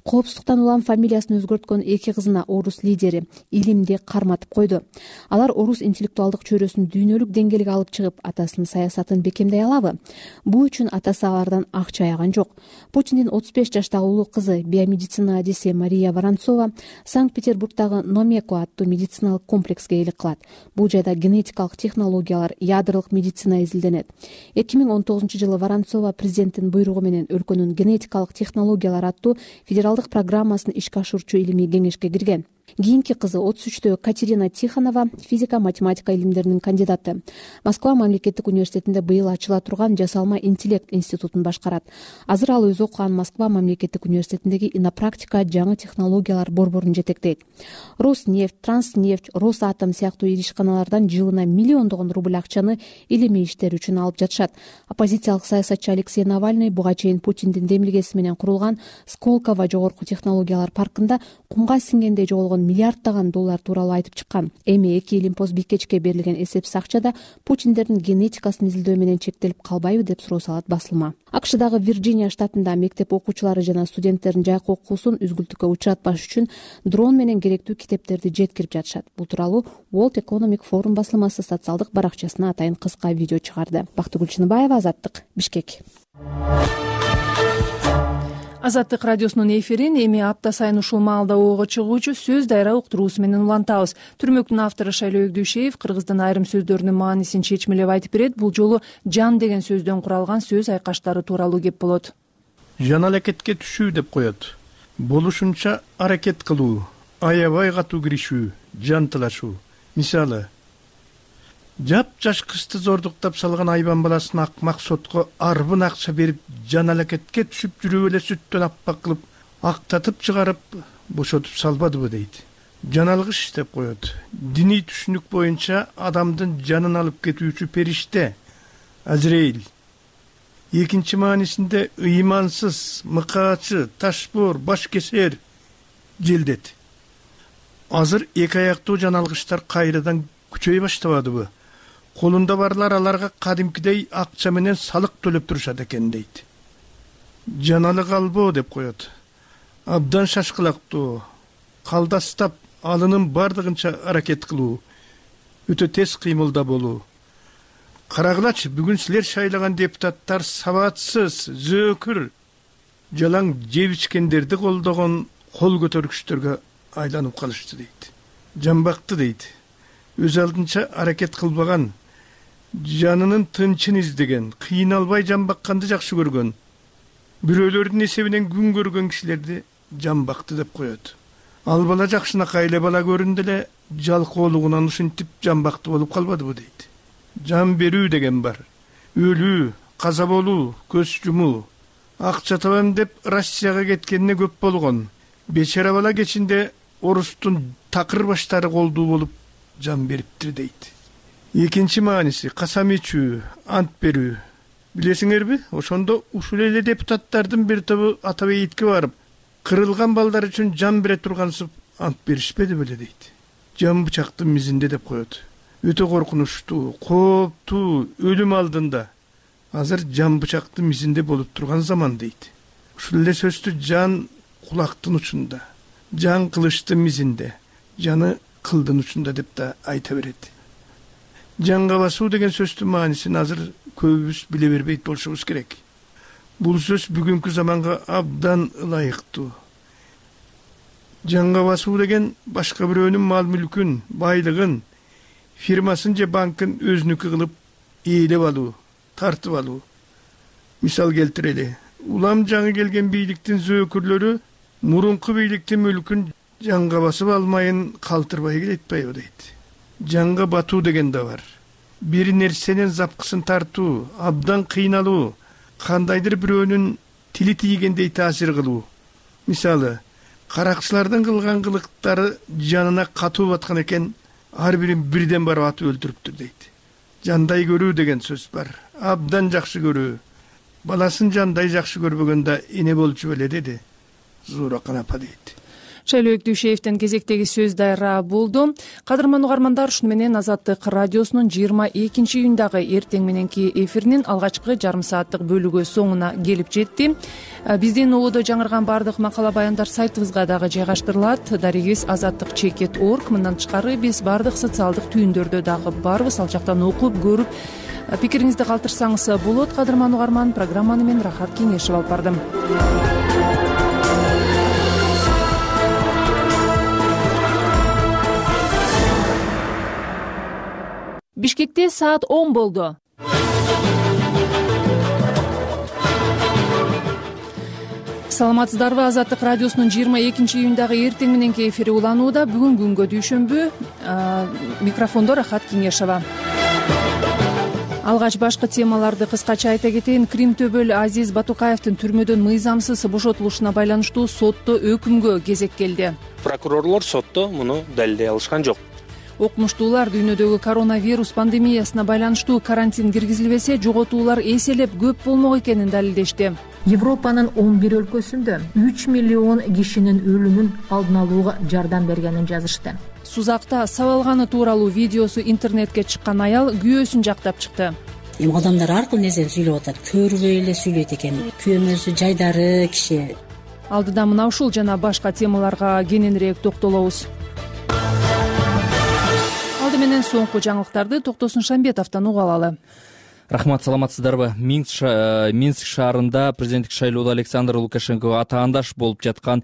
Коопсуздуктан улам фамилиясын өзгөрткөн эки кызына орус лидери илимди карматып койду. Алар орус интеллектуалдык чөйрөсүн дүйнөлүк деңгээлге алып чыгып, атасынын саясатын бекемдей алабы? Бул үчүн атасы алардан акча аяган жок. Путиндин 35 жаштагы улуу кызы биомедицина адиси Мария Воронцова Санкт-Петербургдагы Номеко аттуу медициналык комплекске ээлик кылат. Бул жайда генетикалык технологиялар, ядролук медицина изилденет. 2019-жылы Воронцова президенттин буйругу менен өлкөнүн генетикалык технологиялар аттуу федералдык программасын ишке ашыруучу илимий кеңешке кирген. Кийинки кызы 33-тө Катерина Тихонова физика математика илимдеринин кандидаты. Москва мамлекеттик университетинде быйыл ачыла турган жасалма интеллект институтун башкарат. Азыр ал өзү окуган Москва мамлекеттик университетиндеги инопрактика жаңы технологиялар борборун жетектейт. Роснефть, Транснефть, Росатом сыяктуу ишканалардан жылына миллиондогон рубль акчаны илимий иштер үчүн алып жатышат. Оппозициялык саясатчы Алексей Навальный буга чейин Путиндин демилгеси менен курулган Сколково жогорку технологиялар паркында кумга сиңгендей жоголгон миллиарддаган доллар тууралуу айтып чыккан. Эми 2 Илимпоз Бикечке берилген эсепсиз акчада Путиндердин генетикасын изилдөө менен чектелип калбайбы деп суроо салат басылма. АКШдагы Вирджиния штатында мектеп окуучулары жана студенттердин жайкы окуусун үзгүлтүккө учуратпаш үчүн дрон менен керектүү китептерди жеткирип жатышат. Бул тууралуу World Economic Forum басылмасы социалдык баракчасына атайын кыска видео чыгарды. Бактыгүл Чыныбаева, Азаттык, Бишкек. Азаттык радиосунун эфирин эми апта сайын ушул маалда ого чыгуучу сөз дайра уктуруусу менен улантабыз. Түрмөктүн автору Шайлоо Өгдүшеев кыргыздын айрым сөздөрүнүн маанисин чечмелеп айтып берет. Бул жолу жан деген сөздөн куралган сөз айкаштары тууралуу кеп болот. Жан аракетке түшүү деп коет. Болушунча аракет кылуу, аябай катуу киришүү, жан тылашуу. Мисалы, жап-жаш кызды зордуктап салган айбан баласын акмак сотко арбын акча берип жан алакетке түшүп жүрүп эле сүттөн аппак кылып актатып чыгарып бошотуп салбадыбы дейт. Жан алгыч деп коет. Диний түшүнүк боюнча адамдын жанын алып кетүүчү периште Азраил. Экинчи маанисинде ыймансыз, мыкаачы, ташбор, баш кесер, желдет. Азыр эки аяктуу жан алгычтар кайрадан күчөй баштабадыбы? Колунда барлар аларга кадимкидей акча менен салык төлөп турушат экен дейт. Жаналы калбоо деп коет. Абдан шашкылактуу, калдастап алынын бардыгынча аракет кылуу, өтө тез кыймылда болуу. Карагылачы, бүгүн силер шайлаган депутаттар сабатсыз, зөөкүр, жалаң жеп ичкендерди колдогон кол көтөргүчтөргө айланып калышты дейт. Жамбакты дейт. Өз алдынча аракет кылбаган, жанынын тынчын издеген, кыйналбай жамбакканды жакшы көргөн, бирөөлөрдүн эсебинен күн көргөн кишилерди жамбакты деп коет. Ал бала жакшынакай эле бала көрүндү эле жалкоолугунан ушинтип жамбакты болуп калбадыбы дейт. Жан берүү деген бар. Өлүү, каза болуу, көз жумуу. Акча табам деп Россияга кеткенине көп болгон. Бечара бала кечинде орустун такыр баштары колдуу болуп жан бериптир дейт. Экинчи мааниси касам ичүү, ант берүү. Билесиңерби, ошондо ушул эле депутаттардын бир тобу ата бейитке барып, кырылган балдар үчүн жан бере тургансып ант беришпеди беле дейт. Жан бычактын мизинде деп коет. Өтө коркунучтуу, кооптуу, өлүм алдында. Азыр жан бычактын мизинде болуп турган заман дейт. Ушул эле сөздү жан кулактын учунда, жан кылычтын мизинде, жаны кылдын учунда деп да айта берет. Жанга басуу деген сөздүн маанисин азыр көбүбүз биле бербейт болушубуз керек. Бул сөз бүгүнкү заманга абдан ылайыктуу. Жанга басуу деген башка бирөөнүн мал мүлкүн, байлыгын, фирмасын же банкын өзүнүкү кылып ээлеп алуу, тартып алуу. Мисал келтирели. Улам жаңы келген бийликтин зөөкүрлөрү мурунку бийликтин мүлкүн жанга басып алмайын калтырбай келетпайбы дейт. Жанга батуу деген да бар. Бир нерсенин запкысын тартуу, абдан кыйналуу, кандайдыр бирөөнүн тили тийгендей таасир кылуу. Мисалы, каракчылардын кылган кылыктары жанына катуу баткан экен, ар бирин бирден барып атып өлтүрүптүр дейт. Жандай көрүү деген сөз бар. Абдан жакшы көрүү. Баласын жандай жакшы көрбөгөндө эне болчу беле деди. Зууракан апа дейт. Шайлоо Өгдүшеевдин кезектеги сөз дайра болду. Кадырман угармандар, ушуну менен Азаттык радиосунун 22-июндагы эртең мененки эфиринин алгачкы жарым сааттык бөлүгү соңуна келип жетти. Биздин улуудо жаңырган бардык макала баяндар сайтыбызга дагы жайгаштырылат. Дарегибиз azattik.org. Мындан тышкары биз бардык социалдык түйүндөрдө дагы барбыз. Ал жактан окуп, көрүп, Пикириңизди калтырсаңыз болот. Кадырман угарман, программаны мен Рахат Кеңешев алып бардым. Бишкекте саат 10 болду. Саламатсыздарбы? Азаттык радиосунун 22-июндагы эртең мененки эфири уланууда. Бүгүн күнгө дүйшөмбү. Микрофондо Рахат Кеңешева. Алгач башкы темаларды кыскача айта кетейин. Крим төбөл Азиз Батукаевдин түрмөдөн мыйзамсыз бошотулушуна байланыштуу сотто өкүмгө кезек келди. Прокурорлор сотто муну далилдей алышкан жок. Окумуштуулар дүйнөдөгү коронавирус пандемиясына байланыштуу карантин киргизилбесе, жоготуулар эселеп көп болмок экенин далилдешти. Европанын 11 өлкөсүндө 3 миллион кишинин өлүмүн алдын алууга жардам бергенин жазышты. Сузакта сабалганы тууралуу видеосу интернетке чыккан аял күйөөсүн жактап чыкты. Адамдар ар кыл нерсени сүйлөп атат, көрбөй эле сүйлөйт экен. Күйөөмөсү жайдары киши. Алдыда мына ушул жана башка темаларга кененирээк токтолобуз. Алды менен соңку жаңылыктарды Токтосун Шамбетовдон угуп алалы. Рахмат, саламатсыздарбы? Минск шаарында президенттик шайлоодо Александр Лукашенкого атаандаш болуп жаткан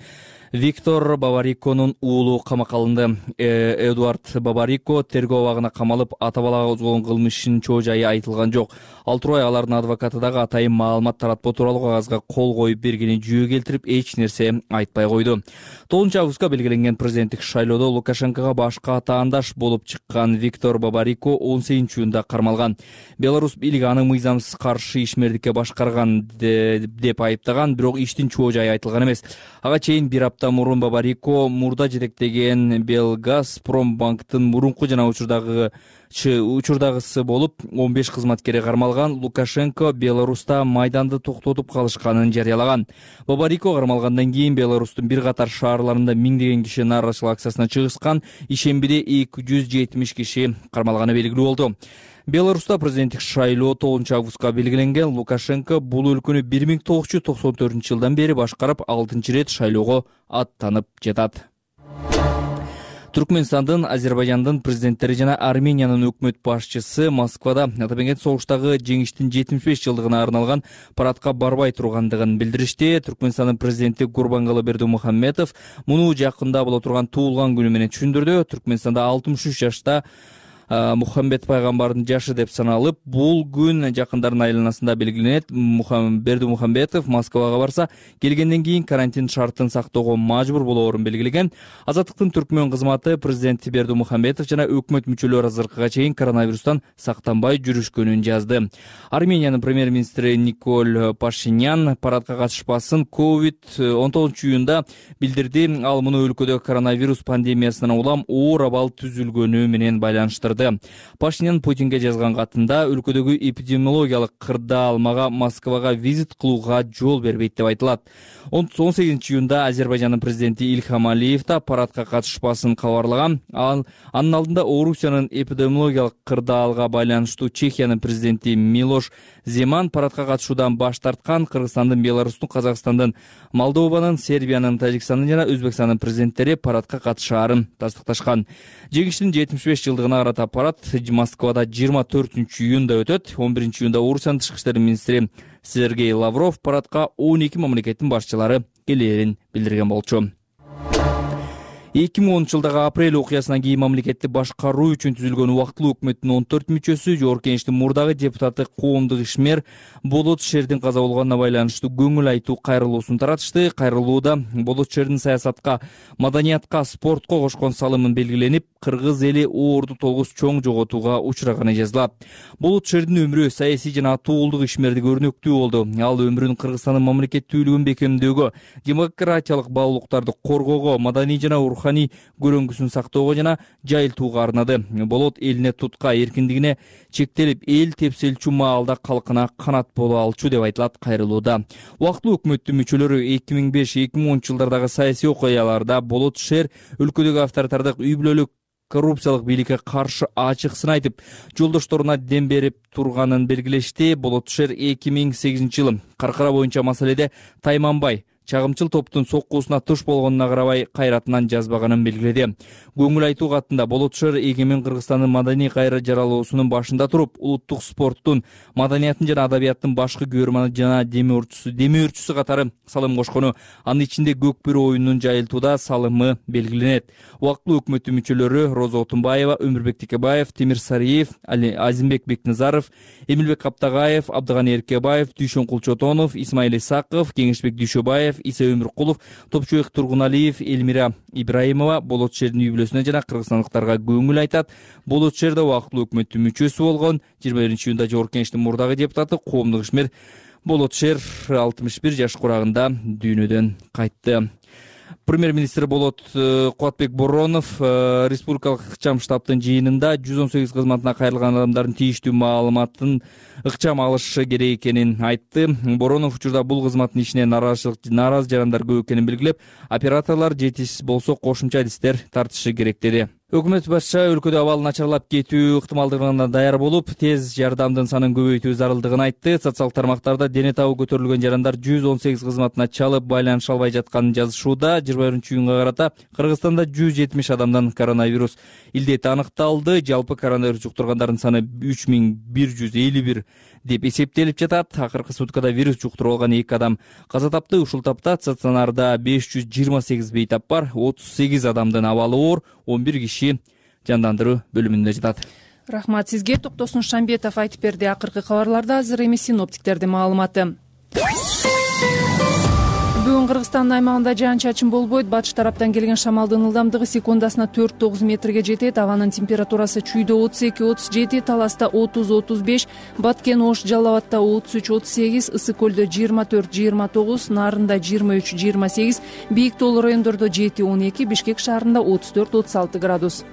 Виктор Бабариконун уулу камакка алынды. Эдуард Бабарико тергөө абагына камалып, ата балага козгогон кылмыштын чоо жайы айтылган жок. Ал турбай алардын адвокаты дагы атайын маалымат таратпоо тууралуу кагазга кол коюп бергенин жүйө келтирип, эч нерсе айтпай койду. 9 августка белгиленген президенттик шайлоодо Лукашенкого башка атаандаш болуп чыккан Виктор Бабарико 18-июнда кармалган. Беларусь бийлиги аны мыйзамсыз каршы ишмердикке башкарган деп айыптаган, бирок иштин чоо жайы айтылган эмес. Ага чейин бир апта мурун Бабарико мурда жетектеген Белгазпромбанктын мурунку жана учурдагысы болуп 15 кызматкери кармалган. Лукашенко Беларуста майданды токтотуп калышканын жарыялаган. Бабарико кармалгандан кийин Беларустун бир катар шаарларында миңдеген киши нааразычылык акциясына чыгышкан. Ишембиде 270 киши кармалганы белгилүү болду. Беларуста президенттик шайлоо 9 августка белгиленген. Лукашенко бул өлкөнү 1994-жылдан бери башкарып, 6-рет шайлоого аттанып жатат. Түркмөнстандын, Азербайжандын президенттери жана Армениянын өкмөт башчысы Москвада Атамекен согуштагы жеңиштин 75 жылдыгына арналган парадка барбай тургандыгын билдиришти. Түркмөнстандын президенти Гурбангулы Бердимухамедов муну жакында боло турган туулган күнү менен түшүндүрдү. Түркмөнстанда 63 жашта Мухаммед пайгамбардын жашы деп саналып, бул күн жакындардын айланасында белгиленет. Бердимухамедов Москвага барса, келгенден кийин карантин шартын сактоого мажбур болоорун белгилеген. Азаттыктын түркмөн кызматы президент Бердимухамедов жана өкмөт мүчөлөрү азыркыга чейин коронавирустан сактанбай жүрүшкөнүн жазды. Армениянын премьер-министри Николь Пашинян парадка катышпасын COVID-19-июнда билдирди. Ал муну өлкөдө коронавирус пандемиясынан улам оор абал түзүлгөнү менен байланыштырды. Пашинян Путинге жазган катында өлкөдөгү эпидемиологиялык кырдаалмага Москвага визит кылууга жол бербейт деп айтылат. 18-июнда Азербайжандын президенти Ильхам Алиев да парадка катышпасын кабарлаган. Анын алдында Орусиянын эпидемиологиялык кырдаалга байланыштуу Чехиянын президенти Милош Земан парадка катышуудан баш тарткан. Кыргызстандын, Беларустун, Казакстандын, Молдованын, Сербиянын, Тажикстандын жана Өзбекстандын президенттери парадка катышаарын тастыкташкан. Жеңиштин 75 жылдыгына карата парад Москвада 24-июнда өтөт. 11-июнда Орусиянын тышкы иштер министри Сергей Лавров парадка 12 мамлекеттин башчылары келээрин билдирген болчу. 2010-жылдагы апрель окуясынан кийин мамлекетти башкаруу үчүн түзүлгөн убактылуу өкмөттүн 14 мүчөсү Жогорку Кеңештин мурдагы депутаты коомдук ишмер Болот Шердин каза болгонуна байланыштуу көңүл айтуу кайрылуусун таратышты. Кайрылууда Болот Шердин саясатка, маданиятка, спортко кошкон салымын белгиленип, кыргыз эли оорду толгус чоң жоготууга учураганы жазылат. Болот Шердин өмүрү саясий жана атуулдук ишмердик өрнөктүү болду. Ал өмүрүн Кыргызстандын мамлекеттүүлүгүн бекемдөөгө, демократиялык баалуулуктарды коргоого, маданий жана руханий көрөңгүсүн сактоого жана жайылтууга арнады. Болот элине тутка эркиндигине чектелип, эл тепселчү маалда калкына канат боло алчу деп айтылат кайрылууда. Убактылуу өкмөттүн мүчөлөрү 2005-2010 жылдардагы саясий окуяларда Болот Шер өлкөдөгү авторитардык үй бүлөлүк коррупциялык бийликке каршы ачык сын айтып, жолдошторуна дем берип турганын белгилешти. Болот Шер 2008 жылы каркара боюнча маселеде тайманбай чагымчыл топтун соккусуна туш болгонуна карабай кайратынан жазбаганын белгиледи. Көңүл айтуу катында Болотшер эгемен Кыргызстандын маданий кайра жаралуусунун башында туруп, улуттук спорттун, маданияттын жана адабияттын башкы көрманы жана демөөрчүсү катары салым кошкону, анын ичинде көк бөрү оюнун жайылтууда салымы белгиленет. Убактылуу өкмөттүн мүчөлөрү Роза Отунбаева, Өмүрбек Текебаев, Темир Сариев, Азимбек Бекназаров, Эмилбек Каптагаев, Абдыганы Эркебаев, Дүйшөн Кулчотонов, Исмаил Исаков, Кеңешбек Дүйшөбаев, Иса Өмүркулов, Топчубек Тургуналиев, Элмира Ибраимова Болотшердин үй-бүлөсүнө жана кыргызстандыктарга көңүл айтат. Болотшерде убактылуу өкмөттүн мүчөсү болгон 21-июнда Жогорку Кеңештин мурдагы депутаты, коомдук ишмер Болотшер 61 жаш курагында дүйнөдөн кайтты. Премьер-министр Болот Кубатбек Боронов республикалык ыкчам штабтын жыйынында 118 кызматына кайрылган адамдардын тийиштүү маалыматын ыкчам алышы керек экенин айтты. Боронов учурда бул кызматтын ишине нааразы жарандар көп экенин белгилеп, операторлор жетишсиз болсо кошумча адистер тартышы керек деди. Өкмөт башчы өлкөдө абал начарлап кетүү ыктымалдыгына даяр болуп, тез жардамдын санын көбөйтүү зарылдыгын айтты. Социалдык тармактарда дене табы көтөрүлгөн жарандар 118 кызматына чалып байланыша албай жатканын жазышууда. 21-июнга карата Кыргызстанда 170 адамдан коронавирус илдети аныкталды. Жалпы коронавирус жуктургандардын саны 3151 деп эсептелип жатат. Акыркы суткада вирус жуктуруп алган 2 адам каза тапты. Ушул тапта стационарда 528 бейтап бар, 38 адамдын абалы оор, 11 киши жандандыруу бөлүмүндө жатат. Рахмат сизге. Токтосун Шамбетов айтып берди. Акыркы кабарларда азыр эми синоптиктердин маалыматы. Бүгүн Кыргызстандын аймагында жаан-чачын болбойт. Батыш тараптан келген шамалдын ылдамдыгы секундасына 4-9 метрге жетет. Абанын температурасы Чүйдө 32-37, Таласта 30-35, Баткен, Ош, Жалал Абадта 33-38, Ысык көлдө 24-29, Нарында 23-28, бийик тоолуу райондордо 7-12, Бишкек шаарында 34-36 градус.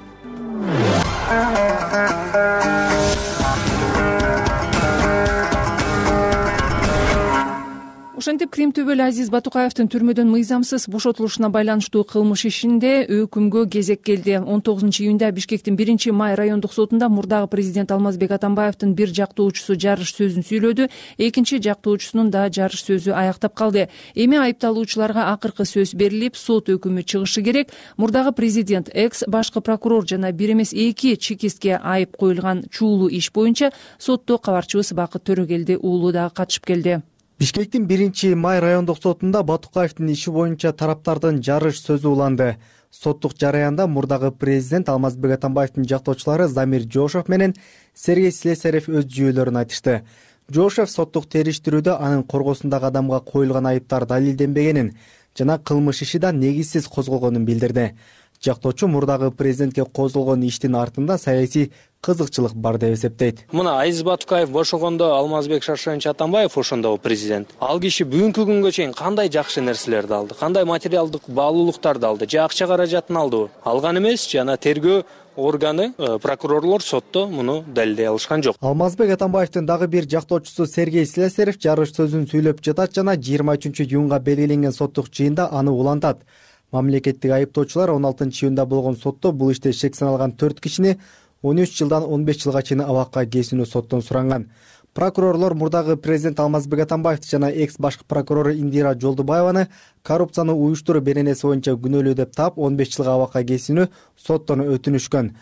Ошентип Крим төбөлү Азиз Батукаевдин түрмөдөн мыйзамсыз бошотулушуна байланыштуу кылмыш ишинде өкүмгө кезек келди. 19-июнда Бишкектин 1-май райондук сотунда мурдагы президент Алмазбек Атамбаевдин бир жактоочусу жарыш сөзүн сүйлөдү, экинчи жактоочусунун да жарыш сөзү аяктап калды. Эми айыпталуучуларга акыркы сөз берилип, сот өкүмү чыгышы керек. Мурдагы президент, экс башкы прокурор жана бир эмес 2 чекистке айып коюлган чуулуу иш боюнча сотто кабарчыбыз Бакыт Төрөгелди уулу дагы катышып келди. Бишкектин 1-май райондук сотунда Батукаевдин иши боюнча тараптардын жарыш сөзү уланды. Соттук жараянда мурдагы президент Алмазбек Атамбаевдин жактоочулары Замир Жошев менен Сергей Слесарев өз жүйөлөрүн айтышты. Жошев соттук териштирүүдө анын коргосундагы адамга коюлган айыптар далилденбегенин жана кылмыш иши да негизсиз козголгонун билдирди. Жактоочу мурдагы президентке козголгон иштин артында саясий кызыкчылык бар деп эсептейт. Мына Азиз Батукаев бошогондо Алмазбек Шаршенович Атамбаев ошондо президент. Ал киши бүгүнкү күнгө чейин кандай жакшы нерселерди алды, кандай материалдык баалуулуктарды алды, же акча каражатын алдыбы? Алган эмес, жана тергөө органы, прокурорлор сотто муну далилдей алышкан жок. Алмазбек Атамбаевдин дагы бир жактоочусу Сергей Слесарев жарыш сөзүн сүйлөп жатат жана 23-июнга белгиленген соттук жыйында аны улантат. Мамлекеттик айыптоочулар 16-июнда болгон сотто бул иште шек саналган 4 кишини 13 жылдан 15 жылга чейин абакка кесүүнү соттон суранган. Прокурорлор мурдагы президент Алмазбек Атамбаевди жана экс башкы прокурор Индира Жолдубаеваны коррупцияны уюштуруу беренеси боюнча күнөөлүү деп таап 15 жылга абакка кесүүнү соттон өтүнүшкөн.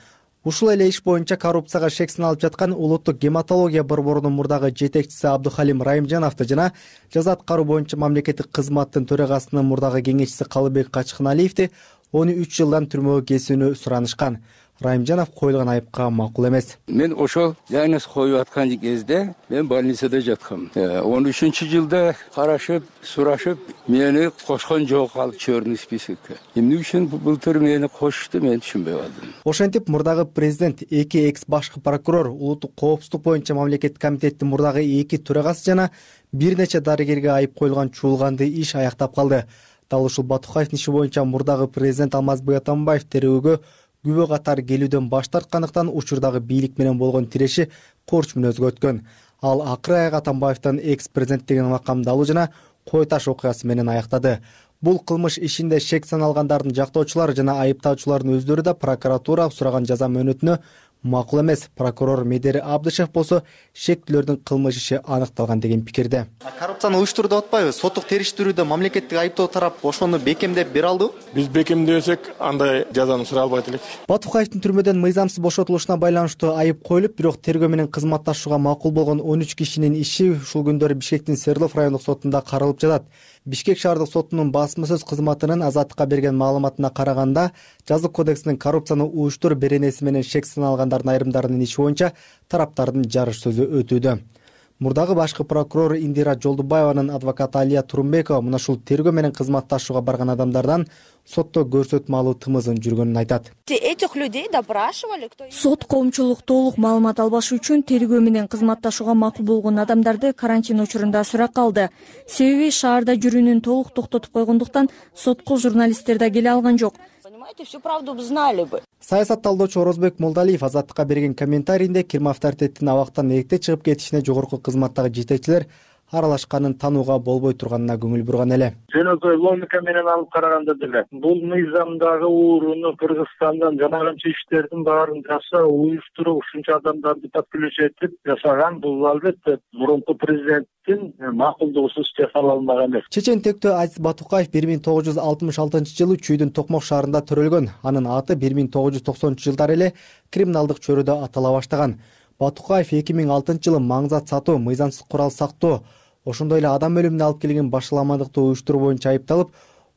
Ушул эле иш боюнча коррупцияга шек саналып жаткан улуттук гематология борборунун мурдагы жетекчиси Абдухалим Райымжановду жана жаза аткаруу боюнча мамлекеттик кызматтын төрагасынын мурдагы кеңешчиси Калыбек Качкыналиевди 13 жылдан түрмөгө кесүүнү суранышкан. Райымжанов коюлган айыпка макул эмес. Мен ошол диагноз коюп аткан кезде мен больницада жаткам. 13-жылда карашып, сурашып, мени кошкон жок ал черный списокко. Эмне үчүн былтыр мени кошушту, мен түшүнбөй калдым. Ошентип мурдагы президент, 2 экс башкы прокурор, улуттук коопсуздук боюнча мамлекеттик комитеттин мурдагы 2 төрагасы жана бир нече дарыгерге айып коюлган чуулганды иш аяктап калды. Дал ушул Батукаевдин иши боюнча мурдагы президент Алмазбек Атамбаев терөөгө күбө катары келүүдөн баш тарткандыктан учурдагы бийлик менен болгон тиреши корч мүнөзгө өткөн. Ал акыры аяк Атамбаевдин экс президенттигин макамдалуу жана кой таш окуясы менен аяктады. Бул кылмыш ишинде шек саналгандардын жактоочулары жана айыптаучулардын өздөрү да прокуратура сураган жаза мөөнөтүнө макул эмес. Прокурор Медери Абдышев болсо шектүүлөрдүн кылмыш иши аныкталган деген пикирде. Коррупцияны уюштуруу деп атпайбы? Соттук териштирүүдө мамлекеттик айыптоо тарап ошону бекемдеп бере алдыбы? Биз бекемдесек, андай жазаны сурай албайт элек. Батукаевдин түрмөдөн мыйзамсыз бошотулушуна байланыштуу айып коюлуп, бирок тергөө менен кызматташууга макул болгон 13 кишинин иши ушул күндөрү Бишкектин Свердлов райондук сотунда каралып жатат. Бишкек шаардык сотунун басма сөз кызматынын Азаттыкка берген маалыматына караганда, жазык кодексинин коррупцияны уюштур беренеси менен шек саналгандардын айрымдарынын иши боюнча тараптардын жарыш сөзү өтүүдө. Мурдагы башкы прокурор Индира Жолдубаеванын адвокаты Алия Турумбекова мына ушул тергөө менен кызматташууга барган адамдардан сотто көрсөтмө алуу тымызын жүргөнүн айтат. Этих людей допрашивали. Сот коомчулук толук маалымат албашы үчүн тергөө менен кызматташууга макул болгон адамдарды карантин учурунда суракка алды. Себеби шаарда жүрүүнүн толук токтотуп койгондуктан сотко журналисттер да келе алган жок. Всю правду знали бы. Саясат талдоочу Орозбек Молдалиев Азаттыкка берген комментарийинде Кирим авторитеттин абактан эрте чыгып кетишине жогорку кызматтагы жетекчилер аралашканын таанууга болбой турганына көңүл бурган эле. Жөнөкөй логика менен алып караганда деле бул мыйзамдагы ууруну Кыргызстандан жанагынча иштердин баарын жасап, уюштуруп, ушунча адамдарды подключить этип жасаган бул албетте мурунку президенттин макулдугусуз жасала алмаган эмес. Чечен тектөө Азиз Батукаев 1966-жылы Чүйдүн Токмок шаарында төрөлгөн. Анын аты 1990-жылдары эле криминалдык чөйрөдө атала баштаган. Батукаев 2006-жылы маңзат сатуу, мыйзамсыз курал сактоо, ошондой эле адам өлүмүнө алып келген башаламандыкты уюштуруу боюнча айыпталып,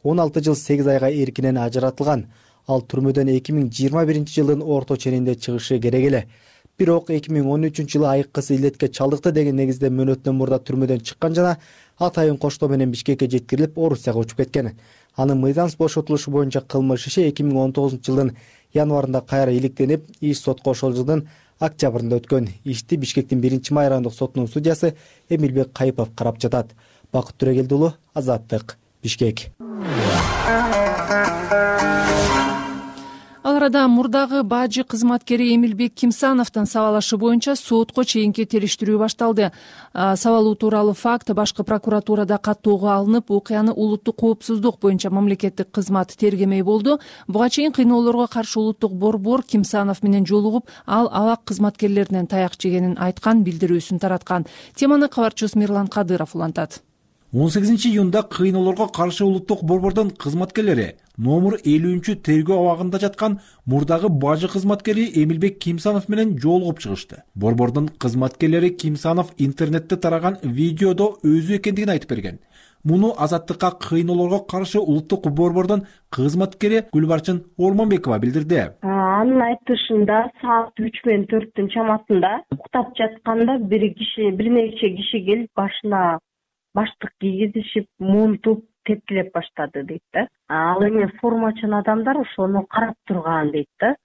16 жыл 8 айга эркинен ажыратылган. Ал түрмөдөн 2021-жылдын орто ченинде чыгышы керек эле. Бирок 2013-жылы айыккысы илетке чалдыкты деген негизде мөөнөттөн мурда түрмөдөн чыккан жана атайын коштоо менен Бишкекке жеткирилип, Орусияга учуп кеткен. Анын мыйзамсыз бошотулушу боюнча кылмыш иши 2019-жылдын январында кайра иликтенип, иш сотко ошол жылдын октябрында өткөн. Ишти Бишкектин 1-май райондук сотунун судьясы Эмилбек Кайыпов карап жатат. Бакыт Түрегелди уулу, Азаттык, Бишкек. Ал арада мурдагы бажы кызматкери Эмилбек Кимсановдун сабалашы боюнча сотко чейинки териштирүү башталды. Сабалуу тууралуу факт башкы прокуратурада каттоого алынып, окуяны улуттук коопсуздук боюнча мамлекеттик кызмат тергемей болду. Буга чейин кыйноолорго каршы улуттук борбор Кимсанов менен жолугуп, ал абак кызматкерлеринен таяк жегенин айткан, билдирүүсүн тараткан. Теманы кабарчыбыз Мирлан Кадыров улантат. 18-июнда кыйноолорго каршы улуттук борбордун кызматкерлери номер 50 тергөө абагында жаткан мурдагы бажы кызматкери Эмилбек Кимсанов менен жолугуп чыгышты. Борбордун кызматкерлери Кимсанов интернетте тараган видеодо өзү экендигин айтып берген. Муну Азаттыкка кыйноолорго каршы улуттук борбордун кызматкери Гүлбарчын Ормонбекова билдирди. Анын айтышында саат 3 менен 4-түн чамасында уктап жатканда бир нече киши келип башына баштык кийгизишип, мунтуп, тепкилеп баштады дейт да. Ал эми формачын адамдар ошону карап турган дейт да.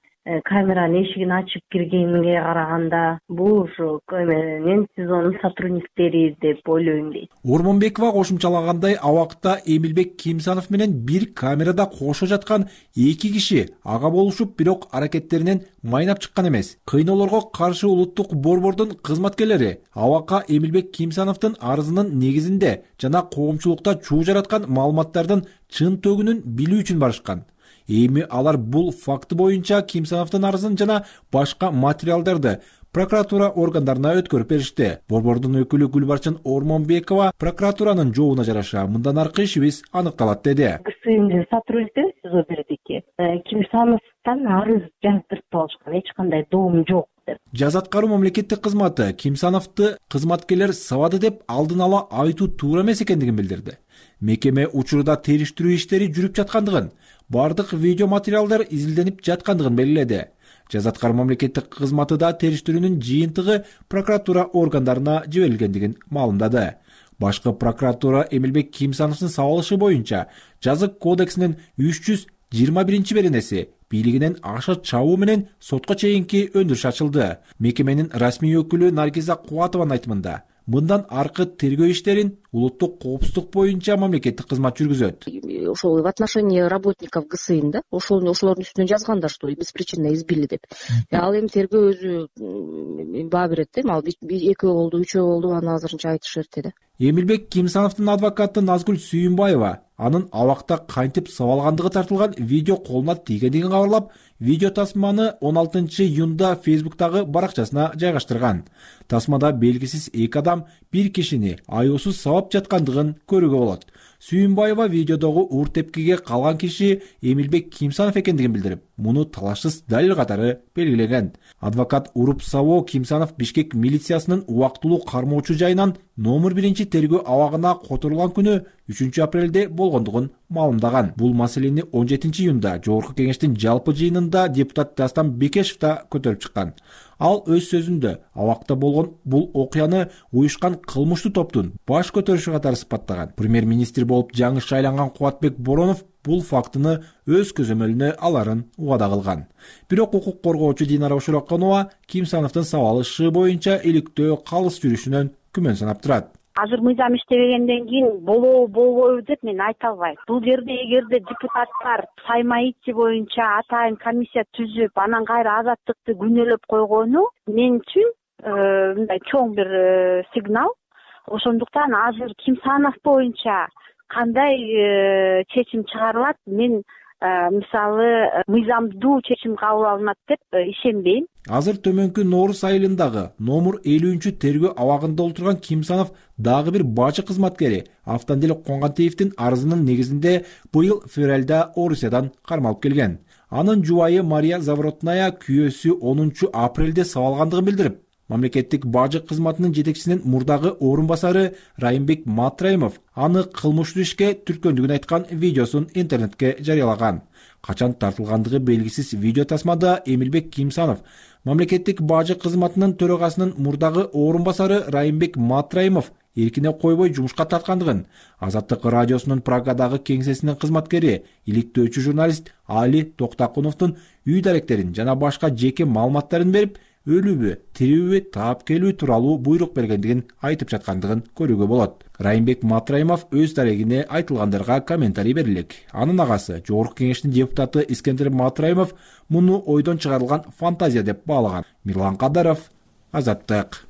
Камеранын эшигин ачып киргенге караганда бул ушу менин сезонун сотрудниктери деп ойлойм дейт. Ормонбекова кошумчалагандай, абакта Эмилбек Кимсанов менен бир камерада кошо жаткан 2 киши ага болушуп, бирок аракеттеринен майнап чыккан эмес. Кыйноолорго каршы улуттук борбордун кызматкерлери абакка Эмилбек Кимсановдун арызынын негизинде жана коомчулукта чуу жараткан маалыматтардын чын төгүнүн билүү үчүн барышкан. Эми алар бул факты боюнча Кимсановдун арызын жана башка материалдарды прокуратура органдарына өткөрүп беришти. Борбордун өкүлү Гүлбарчын Ормонбекова прокуратуранын жообуна жараша мындан аркы ишибиз аныкталат деди. КСМдин сотрудниктери сөзү бердики. Кимсановдон арыз жаздырып алышкан, эч кандай доом жок деп. Жаза аткаруу мамлекеттик кызматы Кимсановду кызматкерлер сабады деп алдын ала айтуу туура эмес экендигин билдирди. Мекеме учурда териштирүү иштери жүрүп жаткандыгын, бардык видео материалдар изилденип жаткандыгын белгиледи. Жаза аткаруу мамлекеттик кызматы да териштирүүнүн жыйынтыгы прокуратура органдарына жиберилгендигин маалымдады. Башкы прокуратура Эмилбек Кимсановдун сабалышы боюнча жазык кодексинин 321 беренеси бийлигинен аша чабуу менен сотко чейинки өндүрүш ачылды. Мекеменин расмий өкүлү Наргиза Кубатованын айтымында, мындан аркы тергөө иштерин улуттук коопсуздук боюнча мамлекеттик кызмат жүргүзөт. Ошол в отношении работников ГСИН да ошолордун үстүнөн жазганда, что беспричинно избили деп. Ал эми тергөө өзү баа берет да, ал экөө болду, үчөө болду, аны азырынча айтыш эрте да. Эмилбек Кимсановдун адвокаты Назгүл Сүйүнбаева анын абакта кантип сабалгандыгы тартылган видео колуна тийгендигин кабарлап, видео тасманы 16-июнда Facebook'тагы баракчасына жайгаштырган. Тасмада белгисиз эки адам бир кишини аяосуз сабап жаткандыгын көрүүгө болот. Сүйүнбаева видеодогу уур тепкиге калган киши Эмилбек Кимсанов экендигин билдирип, муну талашсыз далил катары белгилеген. Адвокат уруп сабоо Кимсанов Бишкек милициясынын убактылуу кармоочу жайынан номер 1 тергөө абагына которулган күнү 3 апрелде болгондугун маалымдаган. Бул маселени 17-июнда Жогорку кеңештин жалпы жыйынында депутат Дастан Бекешев да көтөрүп чыккан. Ал өз сөзүндө абакта болгон бул окуяны уюшкан кылмыштуу топтун баш көтөрүшү катары сыпаттаган. Премьер-министр болуп жаңы шайланган Кубатбек Боронов бул фактыны өз көзөмөлүнө аларын убада кылган. Бирок укук коргоочу Динара Ошураканова Кимсановдун сабалышы боюнча иликтөө калыс жүрүшүнөн күмөн санап турат. Азыр мыйзам иштебегенден кийин болобойбу деп мен айта албайм. Бул жерде эгерде депутаттар Саймаити боюнча атайын комиссия түзүп, анан кайра азаттыкты күнөөлөп койгону мен үчүн мындай чоң бир сигнал. Ошондуктан азыр Кимсанов боюнча кандай чечим чыгарылат, мен мисалы мыйзамдуу чечим кабыл алынат деп ишенбейм. Азыр төмөнкү Нооруз айылындагы номер 50 тергөө абагында отурган Кимсанов дагы бир бажы кызматкери Автандил Коңгантиевдин арызынын негизинде быйыл февралда Орусиядан кармалып келген. Анын жубайы Мария Заворотная күйөөсү 10 апрелде сабалгандыгын билдирип, мамлекеттик бажы кызматынын жетекчисинин мурдагы орун басары Райымбек Матраимов аны кылмыштуу ишке түрткөндүгүн айткан видеосун интернетке жарыялаган. Качан тартылгандыгы белгисиз видео тасмада Эмилбек Кимсанов мамлекеттик бажы кызматынын төрагасынын мурдагы орун басары Райымбек Матраимов эркине койбой жумушка тарткандыгын, Азаттык радиосунун Прагадагы кеңсесинин кызматкери, иликтөөчү журналист Али Токтакуновдун үй даректерин жана башка жеке маалыматтарын берип, өлүүбү, тирүүбү таап келүү тууралуу буйрук бергендигин айтып жаткандыгын көрүүгө болот. Райымбек Матраимов өз дарегине айтылгандарга комментарий берилек. Анын агасы, Жогорку кеңештин депутаты Искендер Матраимов муну ойдон чыгарылган фантазия деп баалаган. Мирлан Кадаров, Азаттык.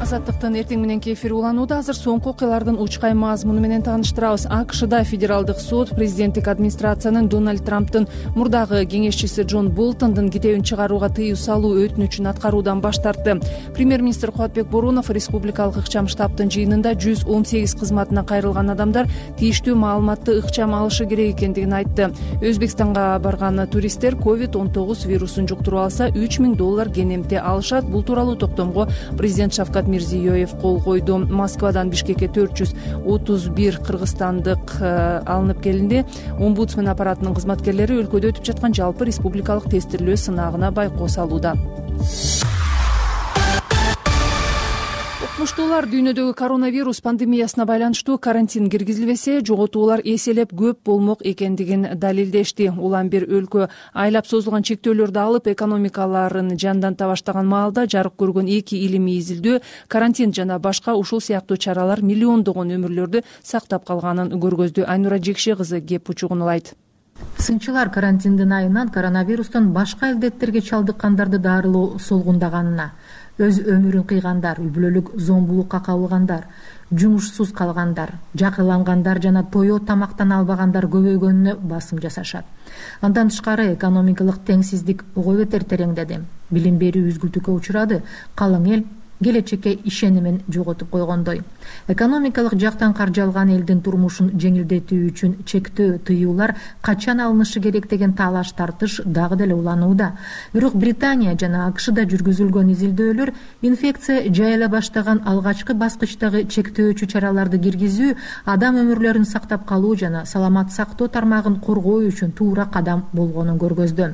Азаттыктын эртең мененки эфири уланууда. Азыр соңку окуялардын учкай мазмуну менен тааныштырабыз. АКШда федералдык сот президенттик администрациянын Дональд Трамптын мурдагы кеңешчиси Джон Болтондун китебин чыгарууга тыюу салуу өтүнүчүн аткаруудан баш тартты. Премьер-министр Кубатбек Боронов республикалык ыкчам штабтын жыйынында 118 кызматына кайрылган адамдар тийиштүү маалыматты ыкчам алышы керек экендигин айтты. Өзбекстанга барган туристтер COVID-19 вирусун жуктуруп алса $3000 кенемте алышат. Бул тууралуу токтомго президент Шавкат Мирзиёев кол койду. Москвадан Бишкекке 431 кыргызстандык алынып келинди. Омбудсмен аппаратынын кызматкерлери өлкөдө өтүп жаткан жалпы республикалык тестирлөө сынагына байкоо салууда. Укмуштуулар дүйнөдөгү коронавирус пандемиясына байланыштуу карантин киргизилбесе, жоготуулар эселеп көп болмок экендигин далилдешти. Улам бир өлкө айлап созулган чектөөлөрдү алып, экономикаларын жанданта баштаган маалда жарык көргөн эки илимий изилдөө карантин жана башка ушул сыяктуу чаралар миллиондогон өмүрлөрдү сактап калганын көргөздү. Айнура Жекше кызы кеп учугун улайт. Сынчылар карантиндин айынан коронавирустан башка илдеттерге чалдыккандарды дарылоо солгундаганына, өз өмүрүн кыйгандар, үй бүлөлүк зомбулукка кабылгандар, жумушсуз калгандар, жакырлангандар жана тоё тамактан албагандар көбөйгөнүнө басым жасашат. Андан тышкары экономикалык теңсиздик ого бетер тереңдеди. Билим берүү үзгүлтүккө учурады. Калың эл келечекке ишенимин жоготуп койгондой. Экономикалык жактан каржалган элдин турмушун жеңилдетүү үчүн чектөө, тыюулар качан алынышы керек деген талаш тартыш дагы деле уланууда. Бирок Британия жана АКШда жүргүзүлгөн изилдөөлөр инфекция жайыла баштаган алгачкы баскычтагы чектөөчү чараларды киргизүү, адам өмүрлөрүн сактап калуу жана саламат сактоо тармагын коргоо үчүн туура кадам болгонун көргөздү.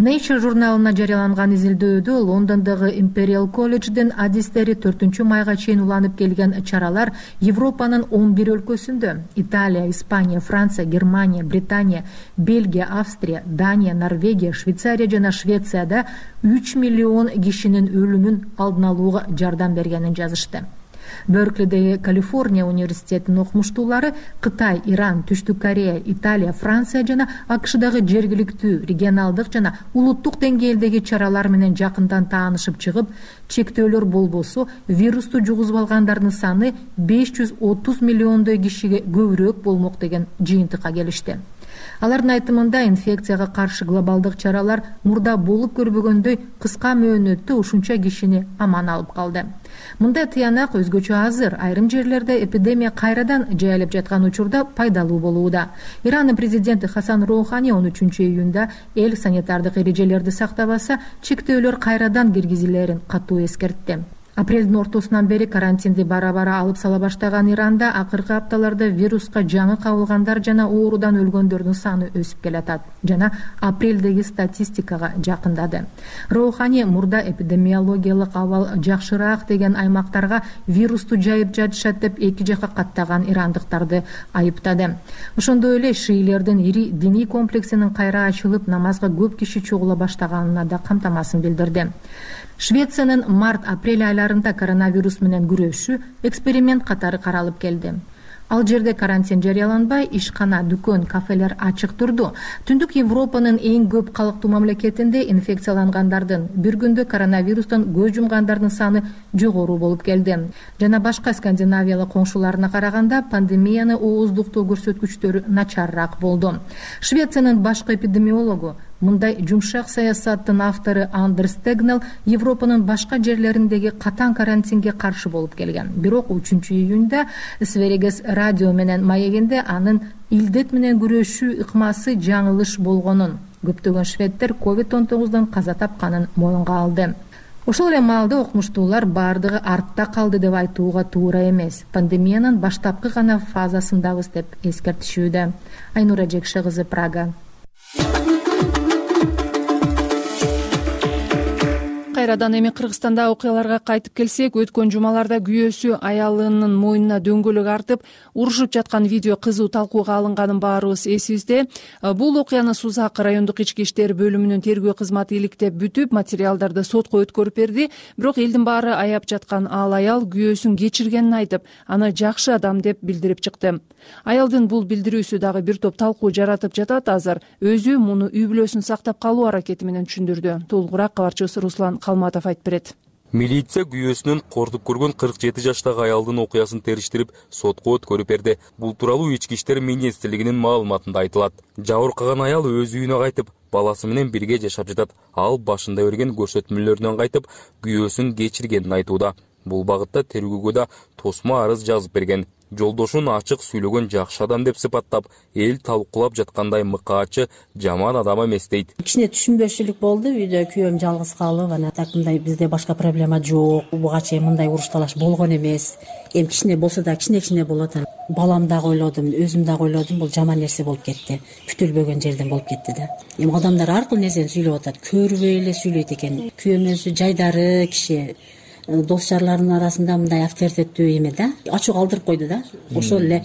Nature журналына жарыяланган изилдөөдө Лондондогу Imperial колледждин адистери 4 майга чейин уланып келген чаралар Европанын 11 өлкөсүндө Италия, Испания, Франция, Германия, Британия, Бельгия, Австрия, Дания, Норвегия, Швейцария жана Швецияда 3 миллион кишинин өлүмүн алдын алууга жардам бергенин жазышты. Берклидеги Калифорния университетинин окумуштуулары Кытай, Иран, Түштүк Корея, Италия, Франция жана АКШдагы жергиликтүү, регионалдык жана улуттук деңгээлдеги чаралар менен жакындан таанышып чыгып, чектөөлөр болбосо вирусту жугузуп алгандардын саны 530 миллиондой кишиге көбүрөөк болмок деген жыйынтыкка келишти. Алардын айтымында инфекцияга каршы глобалдык чаралар мурда болуп көрбөгөндөй кыска мөөнөттө ушунча кишини аман алып калды. Мындай тыянак өзгөчө азыр айрым жерлерде эпидемия кайрадан жайылып жаткан учурда пайдалуу болууда. Иранын президенти Хасан Роухани 13 июнда эл санитардык эрежелерди сактабаса, чектөөлөр кайрадан киргизилерин катуу эскертти. Апрелдин ортосунан бери карантинди бара-бара алып сала баштаган Иранда акыркы апталарда вируска жаңы кабылгандар жана оорудан өлгөндөрдүн саны өсүп келатат жана апрелдеги статистикага жакындады. Роухани мурда эпидемиологиялык абал жакшыраак деген аймактарга вирусту жайып жатышат деп эки жака каттаган ирандыктарды айыптады. Ошондой эле шиилердин ири диний комплексинин кайра ачылып, намазга көп киши чогула баштаганына да камтамасын билдирди. Швециянын март-апрель айларында коронавирус менен күрөшүү эксперимент катары каралып келди. Ал жерде карантин жарыяланбай, ишкана, дүкөн, кафелер ачык турду. Түндүк Европанын эң көп калктуу мамлекетинде инфекциялангандардын бир күндө коронавирустан көз жумгандардын саны жогору болуп келди. Жана башка скандинавиялык коңшуларына караганда пандемияны ооздуктоо көрсөткүчтөрү начарыраак болду. Швециянын башкы эпидемиологу, мындай жумшак саясаттын автору Андерс Тегнел Европанын башка жерлериндеги катаң карантинге каршы болуп келген. Бирок 3 июнда Сверигес радио менен маегинде анын илдет менен күрөшүү ыкмасы жаңылыш болгонун, көптөгөн шведтер COVID-19 каза тапканын моюнга алды. Ошол эле маалда окумуштуулар бардыгы артта калды деп айтууга туура эмес. Пандемиянын баштапкы гана фазасындабыз деп эскертишүүдө. Айнура Жекше кызы, Прага. Кайрадан эми Кыргызстанда окуяларга кайтып келсек, өткөн жумаларда күйөөсү аялынын мойнуна дөңгөлөк артып урушуп жаткан видео кызуу талкууга алынганын баарыбыз эсибизде. Бул окуяны Сузак райондук ички иштер бөлүмүнүн тергөө кызматы иликтеп бүтүп, материалдарды сотко өткөрүп берди. Бирок элдин баары аяп жаткан ал аял күйөөсүн кечиргенин айтып, аны жакшы адам деп билдирип чыкты. Аялдын бул билдирүүсү дагы бир топ талкуу жаратып жатат. Азыр өзү муну үй бүлөсүн сактап калуу аракети менен түшүндүрдү. Толугураак кабарчыбыз Руслан Калматов айтып берет. Милиция күйөөсүнөн кортуп көргөн 47 жаштагы аялдын окуясын териштирип, сотко өткөрүп берди. Бул тууралуу ички иштер министрлигинин маалыматында айтылат. Жабыркаган аял өз үйүнө кайтып, баласы менен бирге жашап жатат. Ал башында берген көрсөтмөлөрүнөн кайтып, күйөөсүн кечиргенин айтууда. Бул багытта тергөөгө да тосмо арыз жазып берген. Жолдошун ачык сүйлөгөн жакшы адам деп сыпаттап, эл талкуулап жаткандай мыкаачы жаман адам эмес дейт. Кичине түшүнбөчүлүк болду. Үйдө күйөөм жалгыз калып, ана такымдай бизде башка проблема жок. Буга чейин мындай уруш талаш болгон эмес. Эми кичине болсо да кичине болот. Балам дагы ойлодум, өзүм дагы ойлодум, бул жаман нерсе болуп кетти. Күтүлбөгөн жерден болуп кетти да. Эми адамдар ар кыл нерсени сүйлөп атат. Көрбөй эле сүйлөйт экен. Күйөөм өзү жайдары киши. Дос жарларынын арасында мындай авторитеттүү эме да, ачуу калтырып койду да. Ошол эле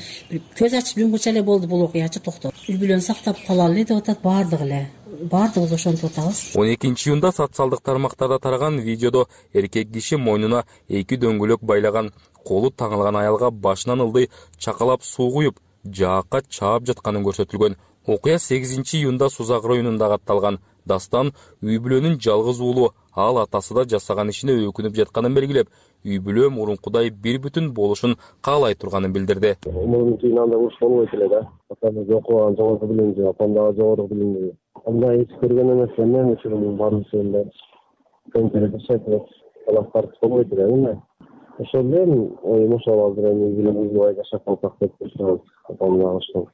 көз ачып жумгуча эле болду бул окуячы, токтоп. Үй бүлөнү сактап калалы деп атат баардыгы эле. Баардыгыбыз ошентип атабыз. 12 июнда социалдык тармактарда тараган видеодо эркек киши мойнуна 2 дөңгөлөк байлаган, колу таңылган аялга башынан ылдый чакалап суу куюп, жаакка чаап жатканын көрсөтүлгөн. Окуя 8 июнда Сузак районунда катталган. Дастан үй бүлөнүн жалгыз уулу, ал атасы да жасаган ишине өкүнүп жатканын белгилеп, үй бүлө мурункудай бир бүтүн болушун каалай турганын билдирди. Мурун кийин андай уруш болбойт эле да. Атам жокуган жогорку билимди, апам дагы жогорку билимди. Андай эч көргөн эмес мен үчүн баарысында конкретно жашайт. Алактар болбойт эле. Ошол эле оюм ошол азыр эми билимди жашап калсак деп турам. Апам дагы ошол.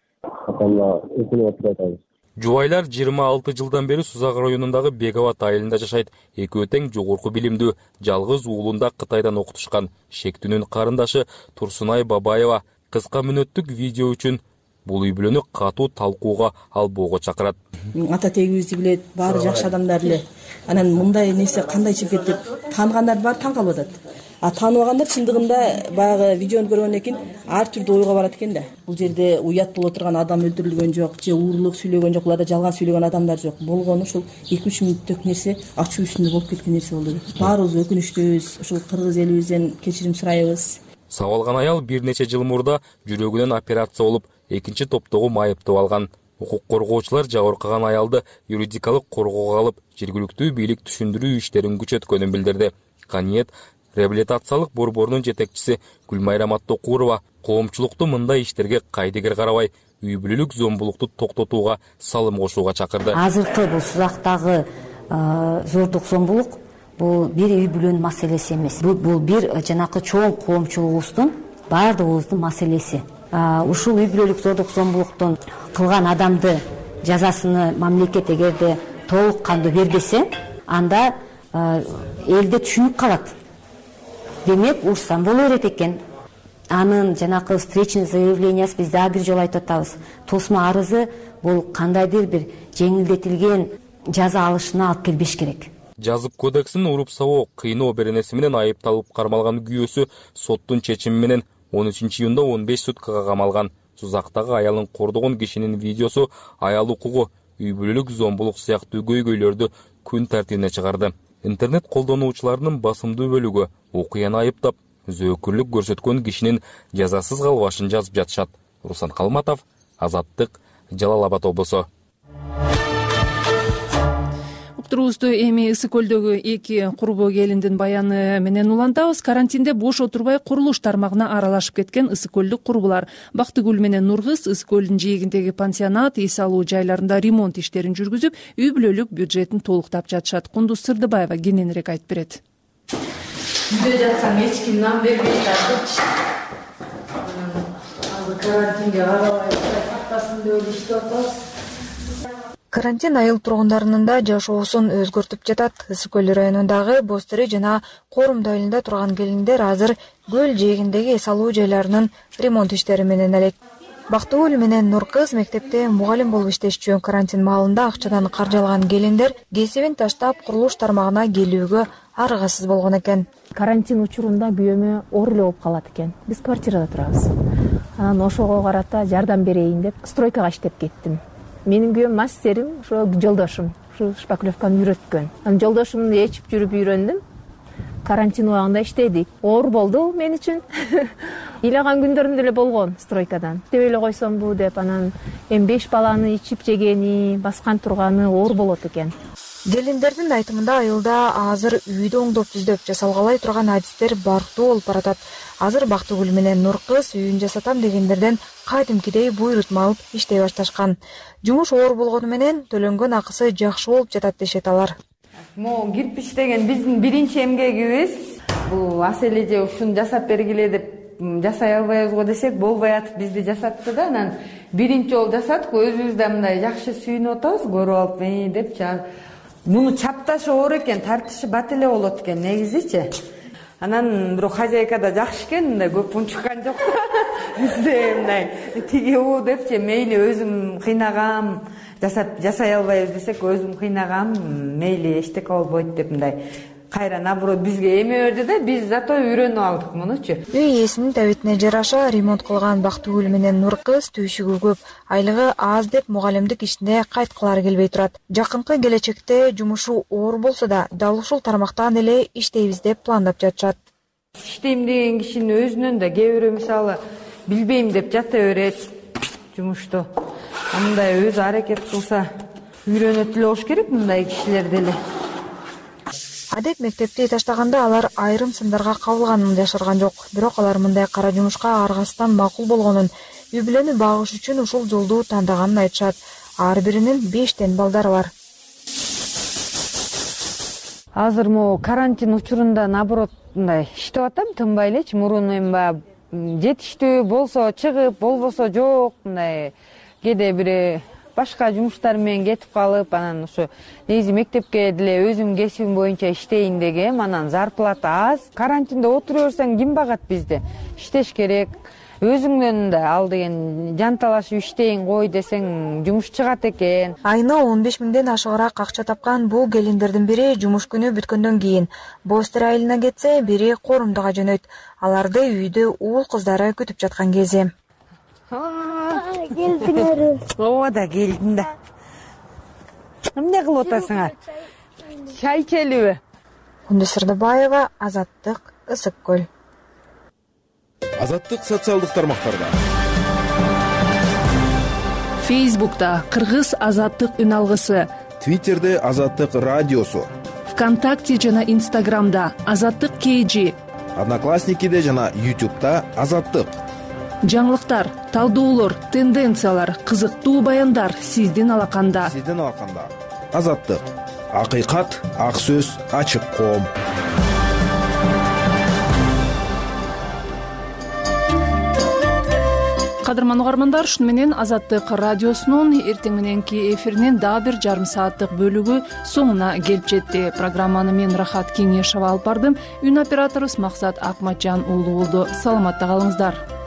Апам да өкүнүп атат. Жубайлар 26 жылдан бери Сузак районундагы Беговат айылында жашайт. Экөө тең жогорку билимдүү, жалгыз уулунда Кытайдан окутушкан. Шектүүнүн карындашы Турсунай Бабаева кыска мүнөттүк видео үчүн бул үй бүлөнү катуу талкууга албоого чакырат. Ата тегибизди билет, баары жакшы адамдар эле. Анан мындай нерсе кандай чыгып кетти деп тааныгандар бар, таң калып атат. Тааныбагандар чындыгында баягы видеону көргөндөн кийин ар түрдүү ойго барат экен да. Бул жерде уят боло турган адам өлтүрүлгөн жок, же уурлук сүйлөгөн жок, буларда жалган сүйлөгөн адамдар жок. Болгону ушул 2-3 мүнөттүк нерсе ачуу үстүндө болуп кеткен нерсе болду. Баарыбыз өкүнүчтүүбүз. Ушул кыргыз элибизден кечирим сурайбыз. Сабалган аял бир нече жыл мурда жүрөгүнөн операция болуп, экинчи топтогу майыптап алган. Укук коргоочулар жабыркаган аялды юридикалык коргоого алып, жергиликтүү бийлик түшүндүрүү иштерин күчөткөнүн билдирди. Каниет реабилитациялык борборунун жетекчиси Гүлмайрам Аттокурова коомчулукту мындай иштерге кайдыгер карабай, үй бүлөлүк зомбулукту токтотууга салым кошууга чакырды. Азыркы бул Сузактагы зордук зомбулук бул бир үй бүлөнүн маселеси эмес. Бул бир жанакы чоң коомчулугубуздун, баардыгыбыздын маселеси. Ушул үй бүлөлүк зордук зомбулуктун кылган адамды жазасыны мамлекет эгерде толук кандуу бербесе, анда элде түшүнүк калат. Демек, урсан боло берет экен. Анын жанакы встречный заявлениясы биз дагы бир жолу айтып атабыз. Тосма арызы бул кандайдыр бир жеңилдетилген жаза алышына алып келбеш керек. Жазып кодексинин уруп сабоо, кыйноо беренеси менен айыпталып кармалган күйөөсү соттун чечими менен 13-июнда 15 суткага камалган. Сузактагы аялын кордогон кишинин видеосу аял укугу, үй бүлөлүк зомбулук сыяктуу көйгөйлөрдү күн тартибине чыгарды. Интернет колдонуучуларынын басымдуу бөлүгү окуяны айыптап, зөөкүрлүк көрсөткөн кишинин жазасыз калбашын жазып жатышат. Руслан Калматов, Азаттык, Жалал Абад облусу. Уктуруубузду эми Ысык көлдөгү эки курбу келиндин баяны менен улантабыз. Карантинде бош отурбай курулуш тармагына аралашып кеткен ысык көлдүк курбулар Бактыгүл менен Нуркыз Ысык көлдүн жээгиндеги пансионат, эс алуу жайларында ремонт иштерин жүргүзүп, үй бүлөлүк бюджетин толуктап жатышат. Кундуз Сырдыбаева кененирээк айтып берет. Үйдө жатсам эч ким нам бербейт, азыр карантинге карабай сактасын деп иштеп атабыз. Карантин айыл тургундарынын да жашоосун өзгөртүп жатат. Ысык көл районундагы Бостери жана Корум айылында турган келиндер азыр көл жээгиндеги эс алуу жайларынын ремонт иштери менен элек. Бактыгүл менен Нуркыз мектепте мугалим болуп иштешчү. Карантин маалында акчадан каржалган келиндер кесибин таштап курулуш тармагына келүүгө аргасыз болгон экен. Карантин учурунда күйөөмө оор эле болуп калат экен. Биз квартирада турабыз. Анан ошого карата жардам берейин деп стройкага иштеп кеттим. Менин күйөөм мастерим, ошо жолдошум, ушу шпаклевканы үйрөткөн. Анан жолдошумду ээчип жүрүп үйрөндүм. Карантин убагында иштедик. Оор болду мен үчүн. Ыйлаган күндөрүм деле болгон стройкадан. Деп эле койсомбу деп, анан эми 5 баланы ичип жегени, баскан турганы оор болот экен. Келиндердин айтымында айылда азыр үйдү оңдоп түздөп жасалгалай турган адистер барктуу болуп баратат. Азыр Бактыгүл менен Нуркыз үйүн жасатам дегендерден кадимкидей буйрутма алып иштей башташкан. Жумуш оор болгону менен төлөнгөн акысы жакшы болуп жатат дешет алар. Могу кирпич деген биздин биринчи эмгегибиз. Бул асележе ушуну жасап бергиле деп жасай албайбыз го десек болбой атып бизди жасатты да. Анан биринчи жолу жасадык, өзүбүз да мындай жакшы сүйүнүп атабыз, көрүп алып деп. Муну чапташы оор экен, тартышы бат эле болот экен негизичи. Анан бирок хозяйка да жакшы экен, мындай көп унчуккан жок. Бизде мындай тиги депчи, мейли өзүм кыйнагам, жасай албайбыз десек, өзүм кыйнагам, мейли эчтеке болбойт деп мындай кайра наоборот бизге эме берди да, биз зато үйрөнүп алдык мунучу. Үй ээсинин табитине жараша ремонт кылган Бактыгүл менен Нуркыз түйшүгү көп, айлыгы аз деп мугалимдик ишине кайткылары келбей турат. Жакынкы келечекте жумушу оор болсо да, дал ушул тармактан эле иштейбиз деп пландап жатышат. Иштейм деген кишинин өзүнөн да кээ бирөө мисалы билбейм деп жата берет жумушту. Мындай өзү аракет кылса үйрөнөт эле болуш керек мындай кишилер деле. Адеп мектепти таштаганда алар айрым сындарга кабылганын жашырган жок. Бирок алар мындай кара жумушка аргасыздан макул болгонун, үй бүлөнү багыш үчүн ушул жолду тандаганын айтышат. Ар биринин 5 балдары бар. Азыр могу карантин учурунда наоборот мындай иштеп атам, тынбай элечи. Мурун эми баягы жетиштүү болсо чыгып, болбосо жок, мындай кээде бир башка жумуштар менен кетип калып, анан ушу негизи мектепке деле өзүм кесибим боюнча иштейин дегем, анан зарплата аз. Карантинде отура берсең ким багат бизди? Иштеш керек. Өзүңдөн да ал деген жанталашып иштейин кой десең жумуш чыгат экен. Айына 15 миңден ашыгыраак акча тапкан бул келиндердин бири жумуш күнү бүткөндөн кийин Бостер айылына кетсе, бири Корумдуга жөнөйт. Аларды үйдө уул кыздары күтүп жаткан кези. Келдиңер. Ооба да келдим да. Эмне кылып атасыңар? Чай ичелиби? Кундуз Сырдыбаева, Азаттык, Ысык көл. Азаттык социалдык тармактарда. Фейсбукта Кыргыз азаттык үн алгысы, Твиттерде Азаттык радиосу, ВКонтакте жана Инстаграмда Азаттык KG, Одноклассникиде жана YouTube'да Азаттык. жаңылыктар, талдоолор, тенденциялар, кызыктуу баяндар сиздин алаканда. Азаттык. Акыйкат, ак сөз, ачык коом. Кадырман угармандар, шуну менен Азаттык радиосунун эртең мененки эфиринин дагы бир жарым сааттык бөлүгү соңуна келип жетти. Программаны мен Рахат Кеңешова алып бардым. Үн операторубуз Максат Акматжан уулу болду. Саламатта калыңыздар.